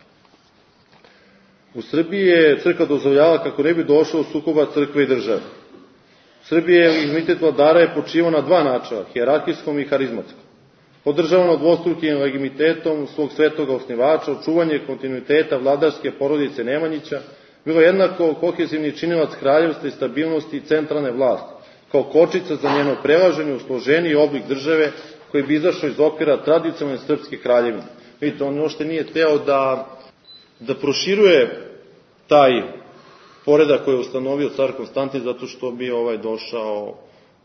U Srbiji je crkva dozvoljavala kako ne bi došlo u sukoba crkve i države. U Srbiji je legitimitet vladara je počivao na dva načela, hijerarhijskom i harizmatskom. Podržavano dvostrukim legitimitetom svog svetoga osnivača, očuvanje kontinuiteta vladarske porodice Nemanjića, bilo jednako kohezivni činilac kraljevstva i stabilnosti i centralne vlasti, kao kočica za njeno prelaženje u složeniji oblik države koji bi izašao iz okvira tradicionalne srpske kraljevine. Vidite, on još nije teo da proširuje taj poredak koji je ustanovio car Konstantin, zato što bi došao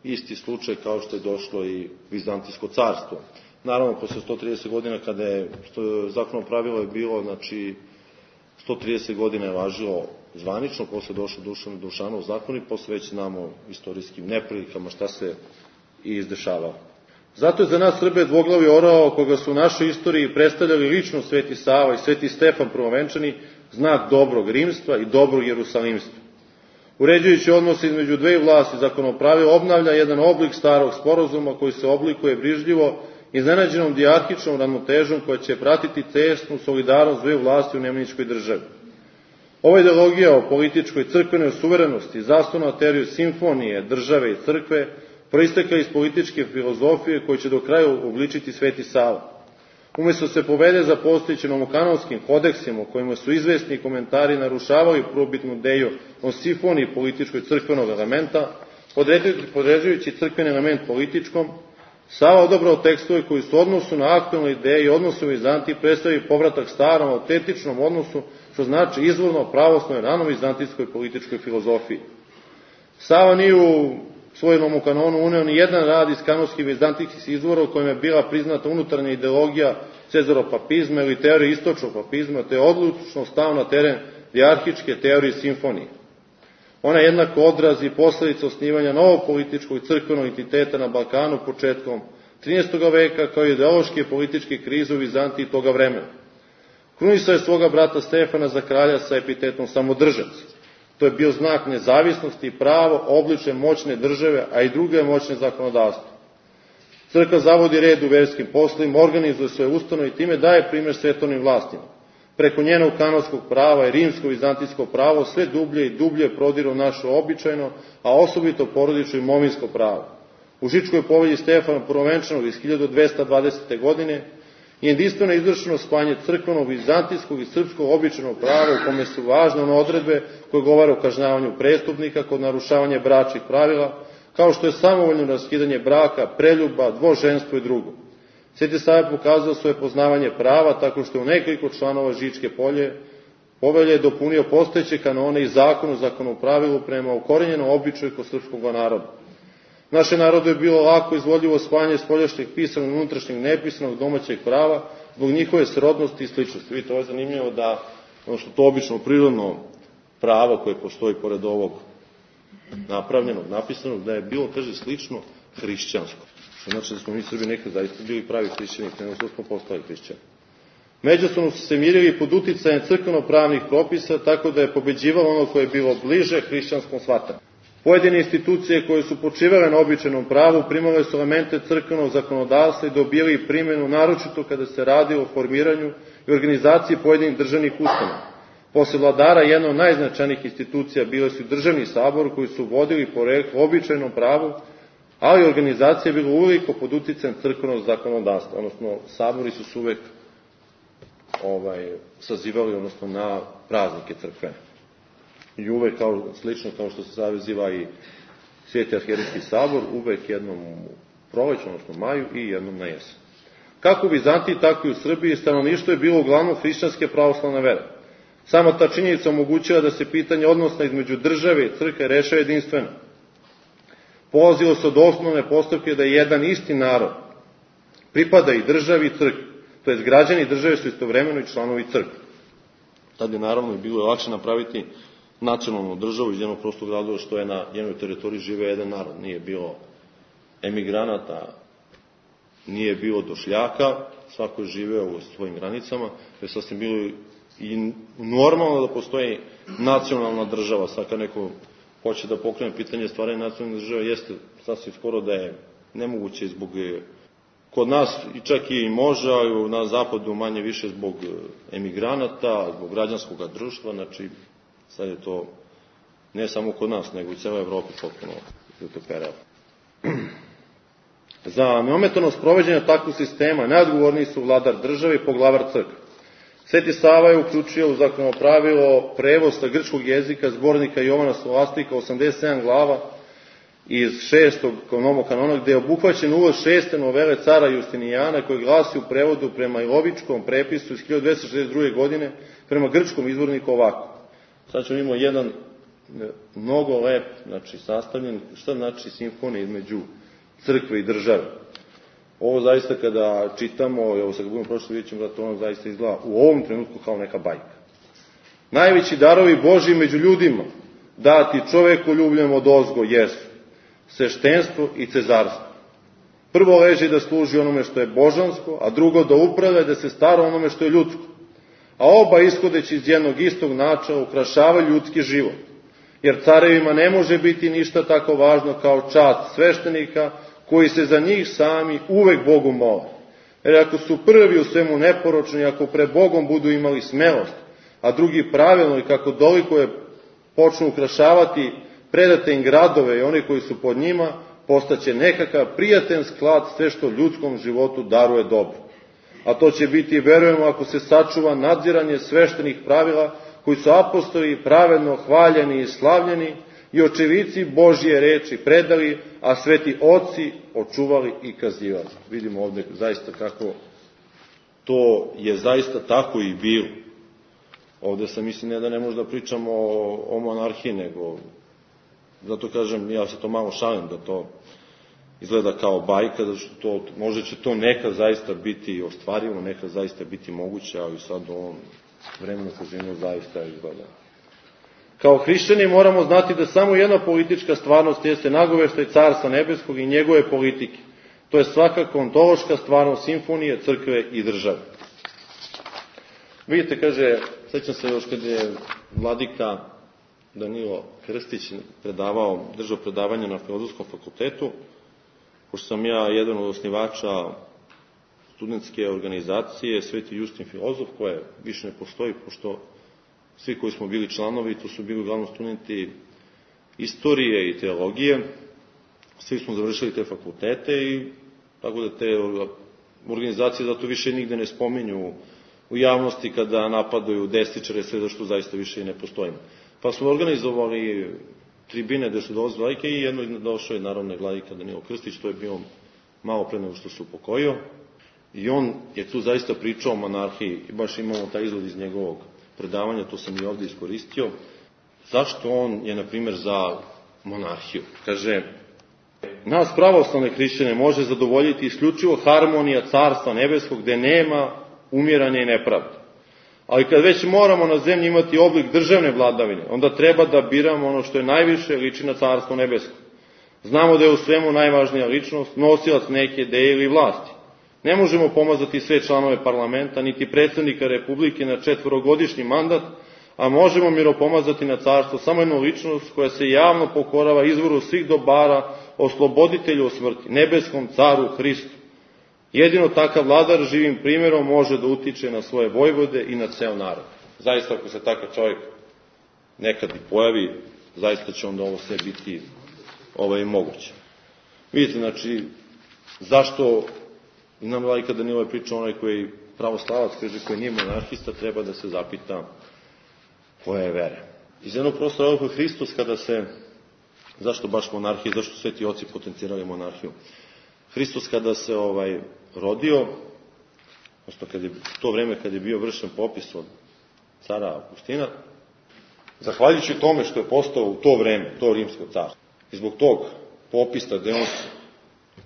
isti slučaj kao što je došlo i Vizantijsko carstvo. Naravno, posle 130 godina, kada je zakonom pravilo je bilo, znači, 130 godina je važilo zvanično, posle došlo Dušanov zakon i posle već znamo istorijskim neprilikama šta se i izdešavalo. Zato je za nas Srbe dvoglavi orao, koga su u našoj istoriji predstavljali lično Sveti Sava i Sveti Stefan Prvovenčani, znak dobrog rimstva i dobrog jerusalimstva. Uređujući odnos između dve vlasti, zakonopravilo obnavlja jedan oblik starog sporazuma koji se oblikuje brižljivo iznenađenom dijarhičnom ravnotežom koja će pratiti tesnu solidarnost dve vlasti u nemanjičkoj državi. Ova ideologija o političkoj crkvenoj suverenosti, zasnovana na teoriju simfonije države i crkve, proistekla iz političke filozofije koju će do kraja obličiti Sveti Sava. Umesto se povede za postojećim nomokanonskim kodeksima u kojima su izvesni komentari narušavali prvobitnu ideju o simfoniji političkoj crkvenog elementa, podređujući crkveni element političkom, Sava odabrao tekstove koji su u odnosu na aktualne ideje i odnosu u Vizantiji predstavili povratak starom autentičnom odnosu, što znači izvorno pravoslavnoj rano-vizantijskoj političkoj filozofiji. Sava nije u svojem nomokanonu uneo ni jedan rad iz kanonskih vizantijskih izvora u kojem je bila priznata unutarnja ideologija cezaropapizma ili teorije istočnog papizma, te odlučno stao na teren dijarhičke teorije simfonije. Ona je jednako odraz i posledica osnivanja novog političkog i crkvenog entiteta na Balkanu početkom 13. veka, kao i ideološke i političke krize u Vizantiji toga vremena. Krunisao je svoga brata Stefana za kralja sa epitetom samodržac. To je bio znak nezavisnosti i pravo obliče moćne države, a i druge moćne zakonodavstva. Crkva zavodi red u verskim poslovima, organizuje svoje ustanove i time daje primjer svetovnim vlastima. Preko njenog kanonskog prava i rimsko-vizantijsko pravo sve dublje i dublje prodiru naše običajno, a osobito porodično imovinsko pravo. U Žičkoj povelji Stefana Prvovenčanog iz 1220. godine je jedinstveno izvršeno spajanje crkvenog, vizantijskog i srpskog običajnog prava u kome su važne one odredbe koje govore o kažnjavanju prestupnika kod narušavanja bračnih pravila, kao što je samovoljno raskidanje braka, preljuba, dvoženstvo i drugo. Sveti Sava pokazao svoje poznavanje prava tako što je u nekoliko članova Žičke povelje dopunio postojeće kanone i zakon o zakonopravilu prema ukorenjenom običaju kod srpskog naroda. Naše narodu je bilo lako izvodljivo spajanje spoljašnjeg pisanog, unutrašnjeg nepisanog, domaćeg prava, zbog njihove srodnosti i sličnosti. Vidite, ovo je zanimljivo da, ono što to obično prirodno pravo koje postoji pored ovog napravljenog, napisanog, da je bilo, kaže, slično hrišćansko. Što znači da smo mi Srbi nekad zaista bili pravi hrišćani, nego što smo postali hrišćani. Međusobno su se mirili pod uticajem crkveno-pravnih propisa, tako da je pobeđivalo ono koje je bilo bliže hrišćanskom shvatanju. Pojedine institucije koje su počivale na običajnom pravu primale su elemente crkvenog zakonodavstva i dobili primjenu, naročito kada se radi o formiranju i organizaciji pojedinih državnih ustanova. Posle vladara jedna od najznačajnijih institucija bile su državni sabor koji su vodili poreklo običajnom pravu, ali organizacija je bila uveliko pod uticajem crkvenog zakonodavstva, odnosno sabori su uvek sazivali, odnosno na praznike crkvene. I uvek, slično kao što se saziva i Sveti arhijerejski sabor, uvek jednom u proleću, odnosno maju, i jednom na jesen. Kako u Vizantiji, tako i u Srbiji stanovništvo je bilo uglavnom hrišćanske pravoslavne vere. Sama ta činjenica omogućava da se pitanje odnosa između države i crkve rešava jedinstveno. Polazilo se od osnovne postavke da je jedan isti narod pripada i državi i crkvi, to jest građani države su istovremeno i članovi crkve. Tad je naravno i bilo lakše napraviti nacionalnu državu iz jednog prostog razloga što je na jednoj teritoriji žive jedan narod. Nije bilo emigranata, nije bilo došljaka, svako je živeo u svojim granicama, to je sasvim bilo i normalno da postoji nacionalna država. Sad kad neko hoće da pokrene pitanje stvaranja nacionalne države, jeste sasvim skoro da je nemoguće zbog, kod nas i čak i može, ali na zapadu manje više zbog emigranata, zbog građanskog društva, znači sad je to ne samo kod nas, nego i celoj Evropi potpuno utoperao. Za neometano sprovođenje takvog sistema najodgovorniji su vladar države i poglavar crkve. Sveti Sava je uključio u zakonopravilo prevoz sa grčkog jezika zbornika Jovana Scholastika 87 glava iz 6. nomokanona, gde je obuhvaćen uvod 6. novele cara Justinijana, koji glasi u prevodu prema Ilovičkom prepisu iz 1262. godine prema grčkom izvorniku ovako. Sad ćemo imati jedan mnogo lep, znači sastavljen, šta znači simfonija između crkve i države. Ovo zaista kada čitamo, evo sad budemo prošli, vidjet ćemo da to ono zaista izgleda u ovom trenutku kao neka bajka. Najveći darovi Božji među ljudima dati čoveku ljubljem od ozgo jesu sveštenstvo i cezarstvo. Prvo leži da služi onome što je božansko, a drugo da upravlja da se stara onome što je ljudsko. A oba ishodeći iz jednog istog načela ukrašavaju ljudski život. Jer carevima ne može biti ništa tako važno kao čast sveštenika koji se za njih sami uvek Bogu mole. Jer ako su prvi u svemu neporočni, ako pred Bogom budu imali smelost, a drugi pravilno i kako doliko je počnu ukrašavati predate im gradove i oni koji su pod njima, postaće nekakav prijaten sklad sve što ljudskom životu daruje dobro. A to će biti, verujemo, ako se sačuva nadziranje sveštenih pravila koji su apostoli pravedno hvaljeni i slavljeni i očevici Božje reči predali, a sveti oci očuvali i kazivali. Vidimo ovde zaista kako to je zaista tako i bilo. Ovde sam mislim ne da ne možda pričamo o monarhiji, nego zato kažem, ja se to malo šalim da to izgleda kao bajka, da što to, možda će to nekad zaista biti ostvarivo, nekad zaista biti moguće, ali sad u ovom vremenu kožinu zaista izgleda. Kao hrišćani moramo znati da samo jedna politička stvarnost jeste nagoveštaj Carstva nebeskog i njegove politike. To je svakako ontološka stvarnost simfonije, crkve i države. Vidite, kaže, sećam se još kad je vladika Danilo Krstić držao predavanje na Filozofskom fakultetu, pošto sam ja jedan od osnivača studentske organizacije Sveti Justin filozof, koja više ne postoji, pošto svi koji smo bili članovi, to su bili uglavnom studenti istorije i teologije, svi smo završili te fakultete i tako da te organizacije zato više nigde ne spominju u javnosti kada napadaju desničare, sve zašto zaista više i ne postojimo. Pa smo organizovali tribine gde su dolazili vladike i jedno došao je naravno vladika Danilo Krstić, to je bio malo pre nego što se upokojio. I on je tu zaista pričao o monarhiji i baš imamo taj izvod iz njegovog predavanja, to sam i ovde iskoristio. Zašto on je, na primjer, za monarhiju? Kaže, nas pravoslavne hrišćane može zadovoljiti isključivo harmonija Carstva nebeskog gde nema umiranja i nepravde. Ali kad već moramo na zemlji imati oblik državne vladavine, onda treba da biramo ono što je najviše liči na Carstvo nebesko. Znamo da je u svemu najvažnija ličnost, nosilac neke ideje ili vlasti. Ne možemo pomazati sve članove parlamenta, niti predsjednika Republike na 4-godišnji mandat, a možemo miropomazati na carstvo samo jednu ličnost koja se javno pokorava izvoru svih dobara, osloboditelju od smrti, nebeskom caru Hristu. Jedino takav vladar živim primjerom može da utiče na svoje vojvode i na ceo narod. Zaista, ako se takav čovjek nekad i pojavi, zaista će onda ovo sve biti moguće. Vidite, znači, zašto nam vladika Danilo je pričao onaj koji pravoslavac, kaže, koji nije monarhista, treba da se zapita koja je vere. Iz jednog prostora ovog Hristos, kada se, zašto baš monarhija, zašto sveti oci potencirali monarhiju? Hristos kada se rodio, odnosno to vreme kad je bio vršen popis od cara Augustina, zahvaljujući tome što je postao u to vreme, to rimsko carstvo, i zbog tog popisa gde on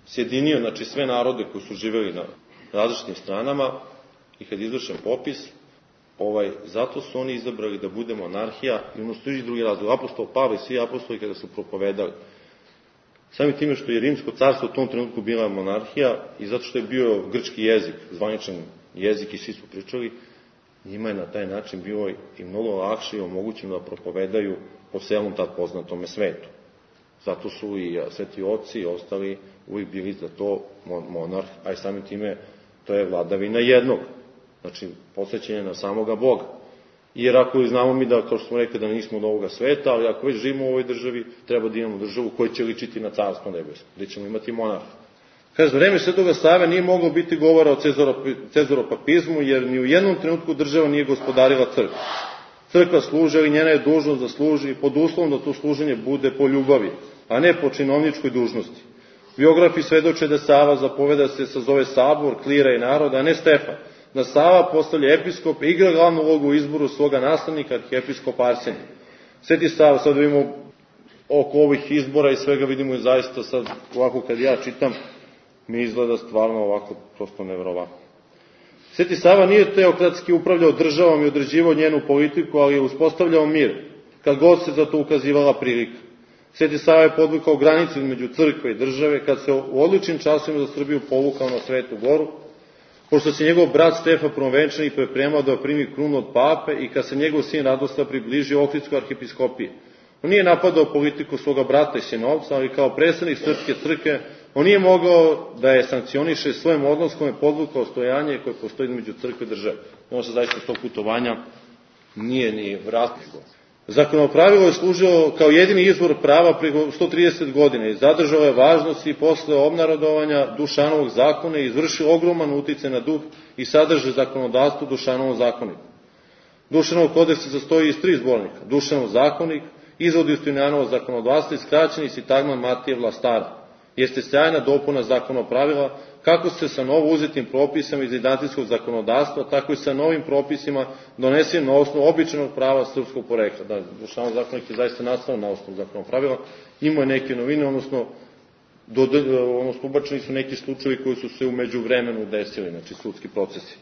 sjedinio, znači, sve narode koji su živeli na različitim stranama, i kad je izvršen popis, zato su oni izabrali da bude monarhija, i ono stoji drugi razlog. Apostol Pavle i svi apostoli kada su propovedali, samim time što je rimsko carstvo u tom trenutku bila monarhija i zato što je bio grčki jezik, zvaničan jezik i svi su pričali, njima je na taj način bilo i mnogo lakše i omogućeno da propovedaju po celom tad poznatome svetu. Zato su i sveti oci i ostali uvijek bili za to monarh, a i samim time to je vladavina jednog. Znači, posvećenje na samoga Boga. Jer ako znamo mi da, kao što smo rekli, da nismo od ovoga sveta, ali ako već živimo u ovoj državi, treba da imamo državu koja će ličiti na carstvo nebesko, gde ćemo imati monarha. Kaže, za vreme Svetoga Save nije moglo biti govora o cezaropapizmu, jer ni u jednom trenutku država nije gospodarila crkvu. Crkva služi, ali njena je dužnost da služi pod uslovom da to služenje bude po ljubavi, a ne po činovničkoj dužnosti. Biografi svedoče da Sava zapoveda se sazove sabor, klira i naroda, a ne Stefan. Da Sava postavlja episkop i igra glavnu ulogu u izboru svoga nastavnika, arhiepiskopa Arsenija. Sveti Sava, sad vidimo oko ovih izbora i svega, vidimo i zaista sad ovako kad ja čitam, mi izgleda stvarno ovako prosto neverovatno. Sveti Sava nije teokratski upravljao državom i određivao njenu politiku, ali je uspostavljao mir, kad god se za to ukazivala prilika. Sveti Sava je podvukao granicu između crkve i države, kad se u odličnim časovima za Srbiju povukao na Svetu Goru, pošto se njegov brat Stefan Prvovenčani pripremao da primi krunu od pape i kad se njegov sin Radoslav približio Ohridskoj arhiepiskopiji. On nije napadao politiku svoga brata i sinovca, ali kao predstavnik srpske crkve, on nije mogao da je sankcioniše svojim odnoskom i podvukao stojanje koje postoji između crkve i države. Ono se zaista tog putovanja nije ni vratilo. Zakonopravilo je služilo kao jedini izvor prava preko 130 godina i zadržalo je važnost i posle obnarodovanja Dušanovog zakona i izvršilo ogroman uticaj na duh i sadrže zakonodavstvo Dušanovom zakoniku. Dušanov kodeks se sastoji iz 3 zbornika. Dušanov zakonik, izvod Justinijanovo zakonodavstvo i skraćeni sintagma Matije Vlastara. Jeste sjajna dopuna zakonopravila kako se sa novo uzetim propisama iz identijskog zakonodavstva, tako i sa novim propisima donesenim na osnovu običajnog prava srpskog porekla. Da, Dušanov zakonik je zaista nastao na osnovu zakonopravila, imao je neke novine, odnosno ubačeni su neki slučajevi koji su se u međuvremenu desili, znači sudski procesi.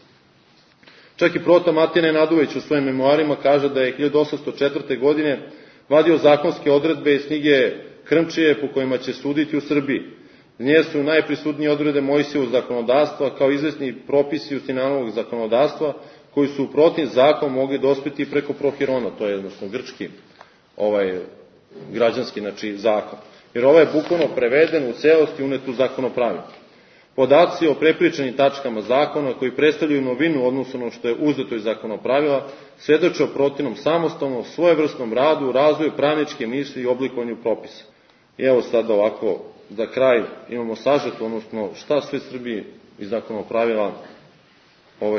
Čak i prota Matija Nenadović u svojim memoarima kaže da je 1804. godine vadio zakonske odredbe iz knjige Krmčije po kojima će suditi u Srbiji. Nje su najprisutnije odredbe Mojsijevog zakonodavstva kao izvesni propisi Justinijanovog zakonodavstva koji su protiv zakon mogli dospeti preko Prohirona, to je jednostavno grčki građanski zakon. Jer ovaj je bukvalno preveden u celosti unet u zakonopravilo. Podaci o prepričanim tačkama zakona koji predstavljaju novinu odnosno ono što je uzeto iz zakonopravila svedoče o protivnom samostalnom, svojevrsnom radu, razvoju pravničke misli i oblikovanju propisa. I evo sad ovako, za kraj imamo sažeto, odnosno šta sve Srbiji iz zakonopravila,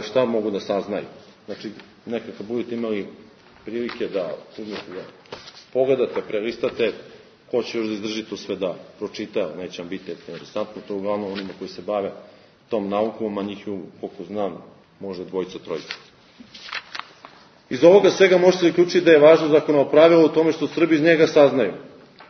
šta mogu da saznaju. Znači, nekako budete imali prilike da pogledate, prelistate, ko će još da izdrži to sve da pročita, neće vam biti interesantno, to uglavnom onima koji se bave tom naukom, a njih, koliko znam, može 2-3. Iz ovoga svega možete zaključiti da je važno zakonopravilo u tome što Srbi iz njega saznaju,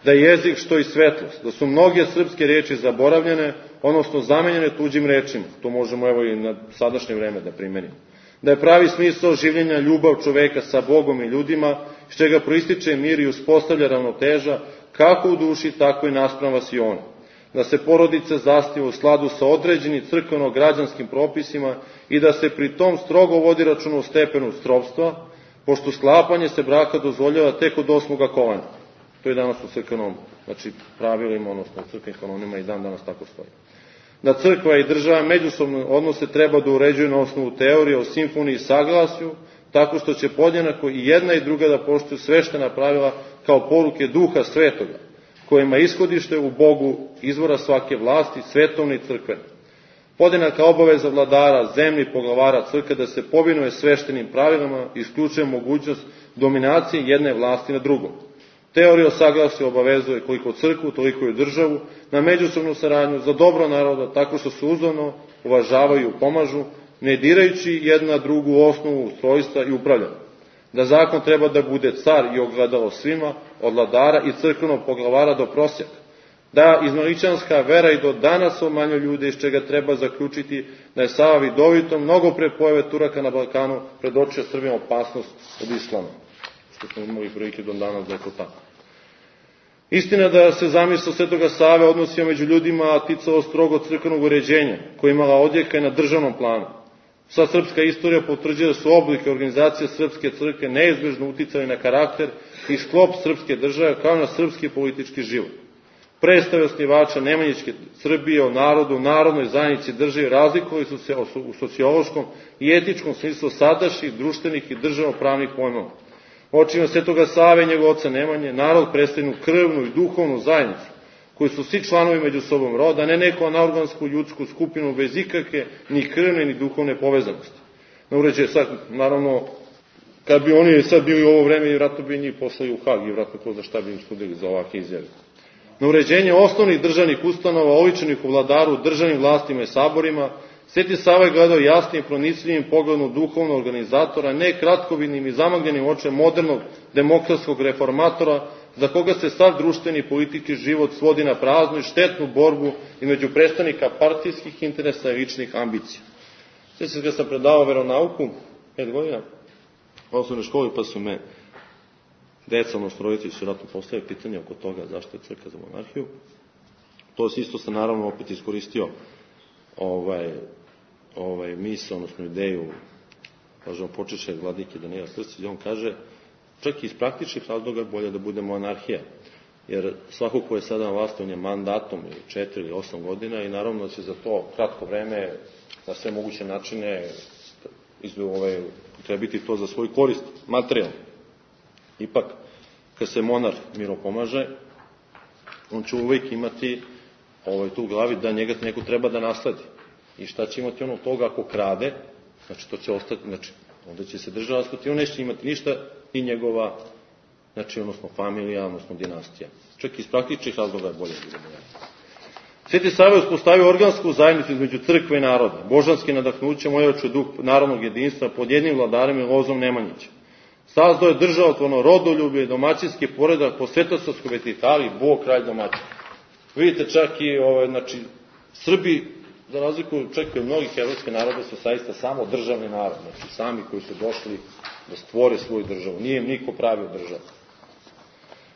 da je jezik što i svetlost, da su mnoge srpske reči zaboravljene, odnosno zamenjene tuđim rečima, to možemo evo i na sadašnje vreme da primenimo, da je pravi smisao življenja ljubav čoveka sa Bogom i ljudima, iz čega proističe mir i uspostavlja ravnoteža, kako u duši, tako i naspram vasiona, da se porodica zasniva u skladu sa određenim crkveno-građanskim propisima i da se pri tom strogo vodi računa o stepenu stropstva, pošto sklapanje se braka dozvoljava tek od 8. kolena. To je danas u crkvenom, pravilima, odnosno u crkvenim kanonima i dan danas tako stoji. Da crkva i država međusobno odnose treba da uređuju na osnovu teorije o simfoniji i saglasju, tako što će podjednako i jedna i druga da poštuju sveštena pravila kao poruke Duha Svetoga, kojima ishodište u Bogu izvora svake vlasti, svetovne i crkvene. Podjednaka obaveza vladara, zemlji, poglavara crkve da se povinuje sveštenim pravilama i isključuje mogućnost dominacije jedne vlasti na drugom. Teorija o saglasju obavezuje koliko crkvu, toliko i državu na međusobnu saradnju za dobro naroda tako što se uzajamno uvažavaju i pomažu, ne dirajući jedna drugu osnovu ustrojstva i upravljanja. Da zakon treba da bude car i ogledalo svima, od vladara i crkvenog poglavara do prosjaka. Da izmaličanska vera i do danas obmanjuje ljude, iz čega treba zaključiti da je Sava vidovito, mnogo pre pojave Turaka na Balkanu, predočio Srbima opasnost od islama. Što smo imali prilike do danas da je to tako. Istina da se zamisao Svetoga Save odnosio među ljudima, a ticalo strogo crkvenog uređenja, koja imala odjeka i na državnom planu. Sva srpska istorija potvrđuje da su oblike organizacije srpske crkve neizbežno uticali na karakter i sklop srpske države kao na srpski politički život. Predstave osnivača Nemanjićke Srbije o narodu, narodnoj zajednici državi razlikovali su se u sociološkom i etičkom smislu sadašnjih, društvenih i državnopravnih pojmova. Očima Svetoga Save i njegov oca Nemanje, narod predstavlja krvnu i duhovnu zajednicu, koji su svi članovi među sobom roda, a ne neku anaorgansku ljudsku skupinu bez ikakve ni krvne ni duhovne povezanosti. Na uređaj sad, naravno, kad bi oni sad bili u ovo vreme, vjerojatno bi njih poslali u Hag i vjerojatno ko za šta bi im sudili za ovakve izjave. Na uređenje osnovnih državnih ustanova, oličenih u vladaru, državnim vlastima i saborima, Sveti Sava je gledao jasnim, pronicljivim pogledom duhovnog organizatora, ne kratkovidnim i zamagljenim očem modernog demokratskog reformatora, za koga se sav društveni i politički život svodi na praznu i štetnu borbu između predstavnika partijskih interesa i ličnih ambicija. Sjećam se kad sam predavao veronauku, 5 godina, u osnovnoj školi, pa su me deca, odnosno roditelji su vjerojatno postavili pitanje oko toga zašto je crkva za monarhiju. To isto sam naravno opet iskoristio misao, odnosno ideju, kažemo, počeše vladike Danila Krstića, on kaže, čak i iz praktičnih razloga bolje da bude monarhija, jer svako ko je sada na vlasti, on je mandatom 4 ili 8 godina i naravno da će za to kratko vreme na sve moguće načine trebiti to za svoj korist, materijalno. Ipak, kad se monar miro pomaže, on će uvijek imati tu u glavi da njega neko treba da nasledi. I šta će imati ono toga ako krade, znači to će ostati, znači onda će se država raspati, on neće imati ništa i njegova, znači odnosno familija, odnosno dinastija. Čak iz praktičnih razloga je bolje da bude. Sveti Sava je uspostavio organsku zajednicu između crkve i naroda, božanski nadahnućem ojačao duh narodnog jedinstva pod jednim vladarem i lozom Nemanjića. Sazdao je državotvorno rodoljublje i domaćinski poredak po svetosavskoj vertikali, Bog kralj domaćin. Vidite, čak i znači, Srbi, za razliku čak i od mnogih evropskih naroda, su saista samo državni narod, znači sami koji su došli da stvore svoju državu. Nije im niko pravio državu.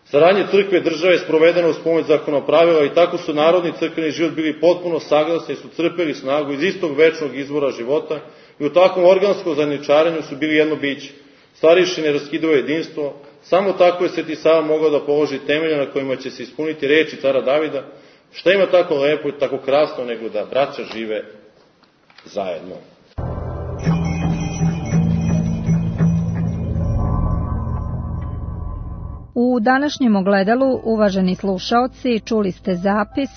Saradnje crkve i države je sprovedeno uz pomoć zakonopravila i tako su narodni crkveni život bili potpuno saglasni i su crpeli snagu iz istog večnog izvora života i u takvom organskom zajedničarenju su bili jedno biće. Starješine raskidao jedinstvo, samo tako je Sveti Sava mogao da položi temelje na kojima će se ispuniti reči cara Davida, šta ima tako lepo i tako krasno nego da braća žive zajedno. U današnjem ogledalu, uvaženi slušaoci, čuli ste zapis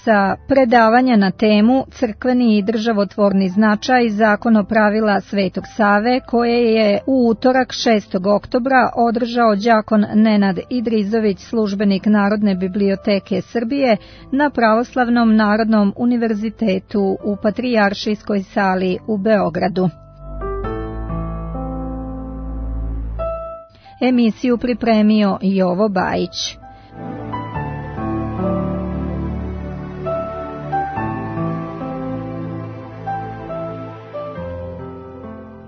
sa predavanja na temu Crkveni i državotvorni značaj zakonopravila Svetog Save, koje je u utorak 6. oktobra održao đakon Nenad Idrizović, službenik Narodne biblioteke Srbije, na Pravoslavnom Narodnom univerzitetu u Patrijaršijskoj sali u Beogradu. Emisiju pripremio Jovo Bajić.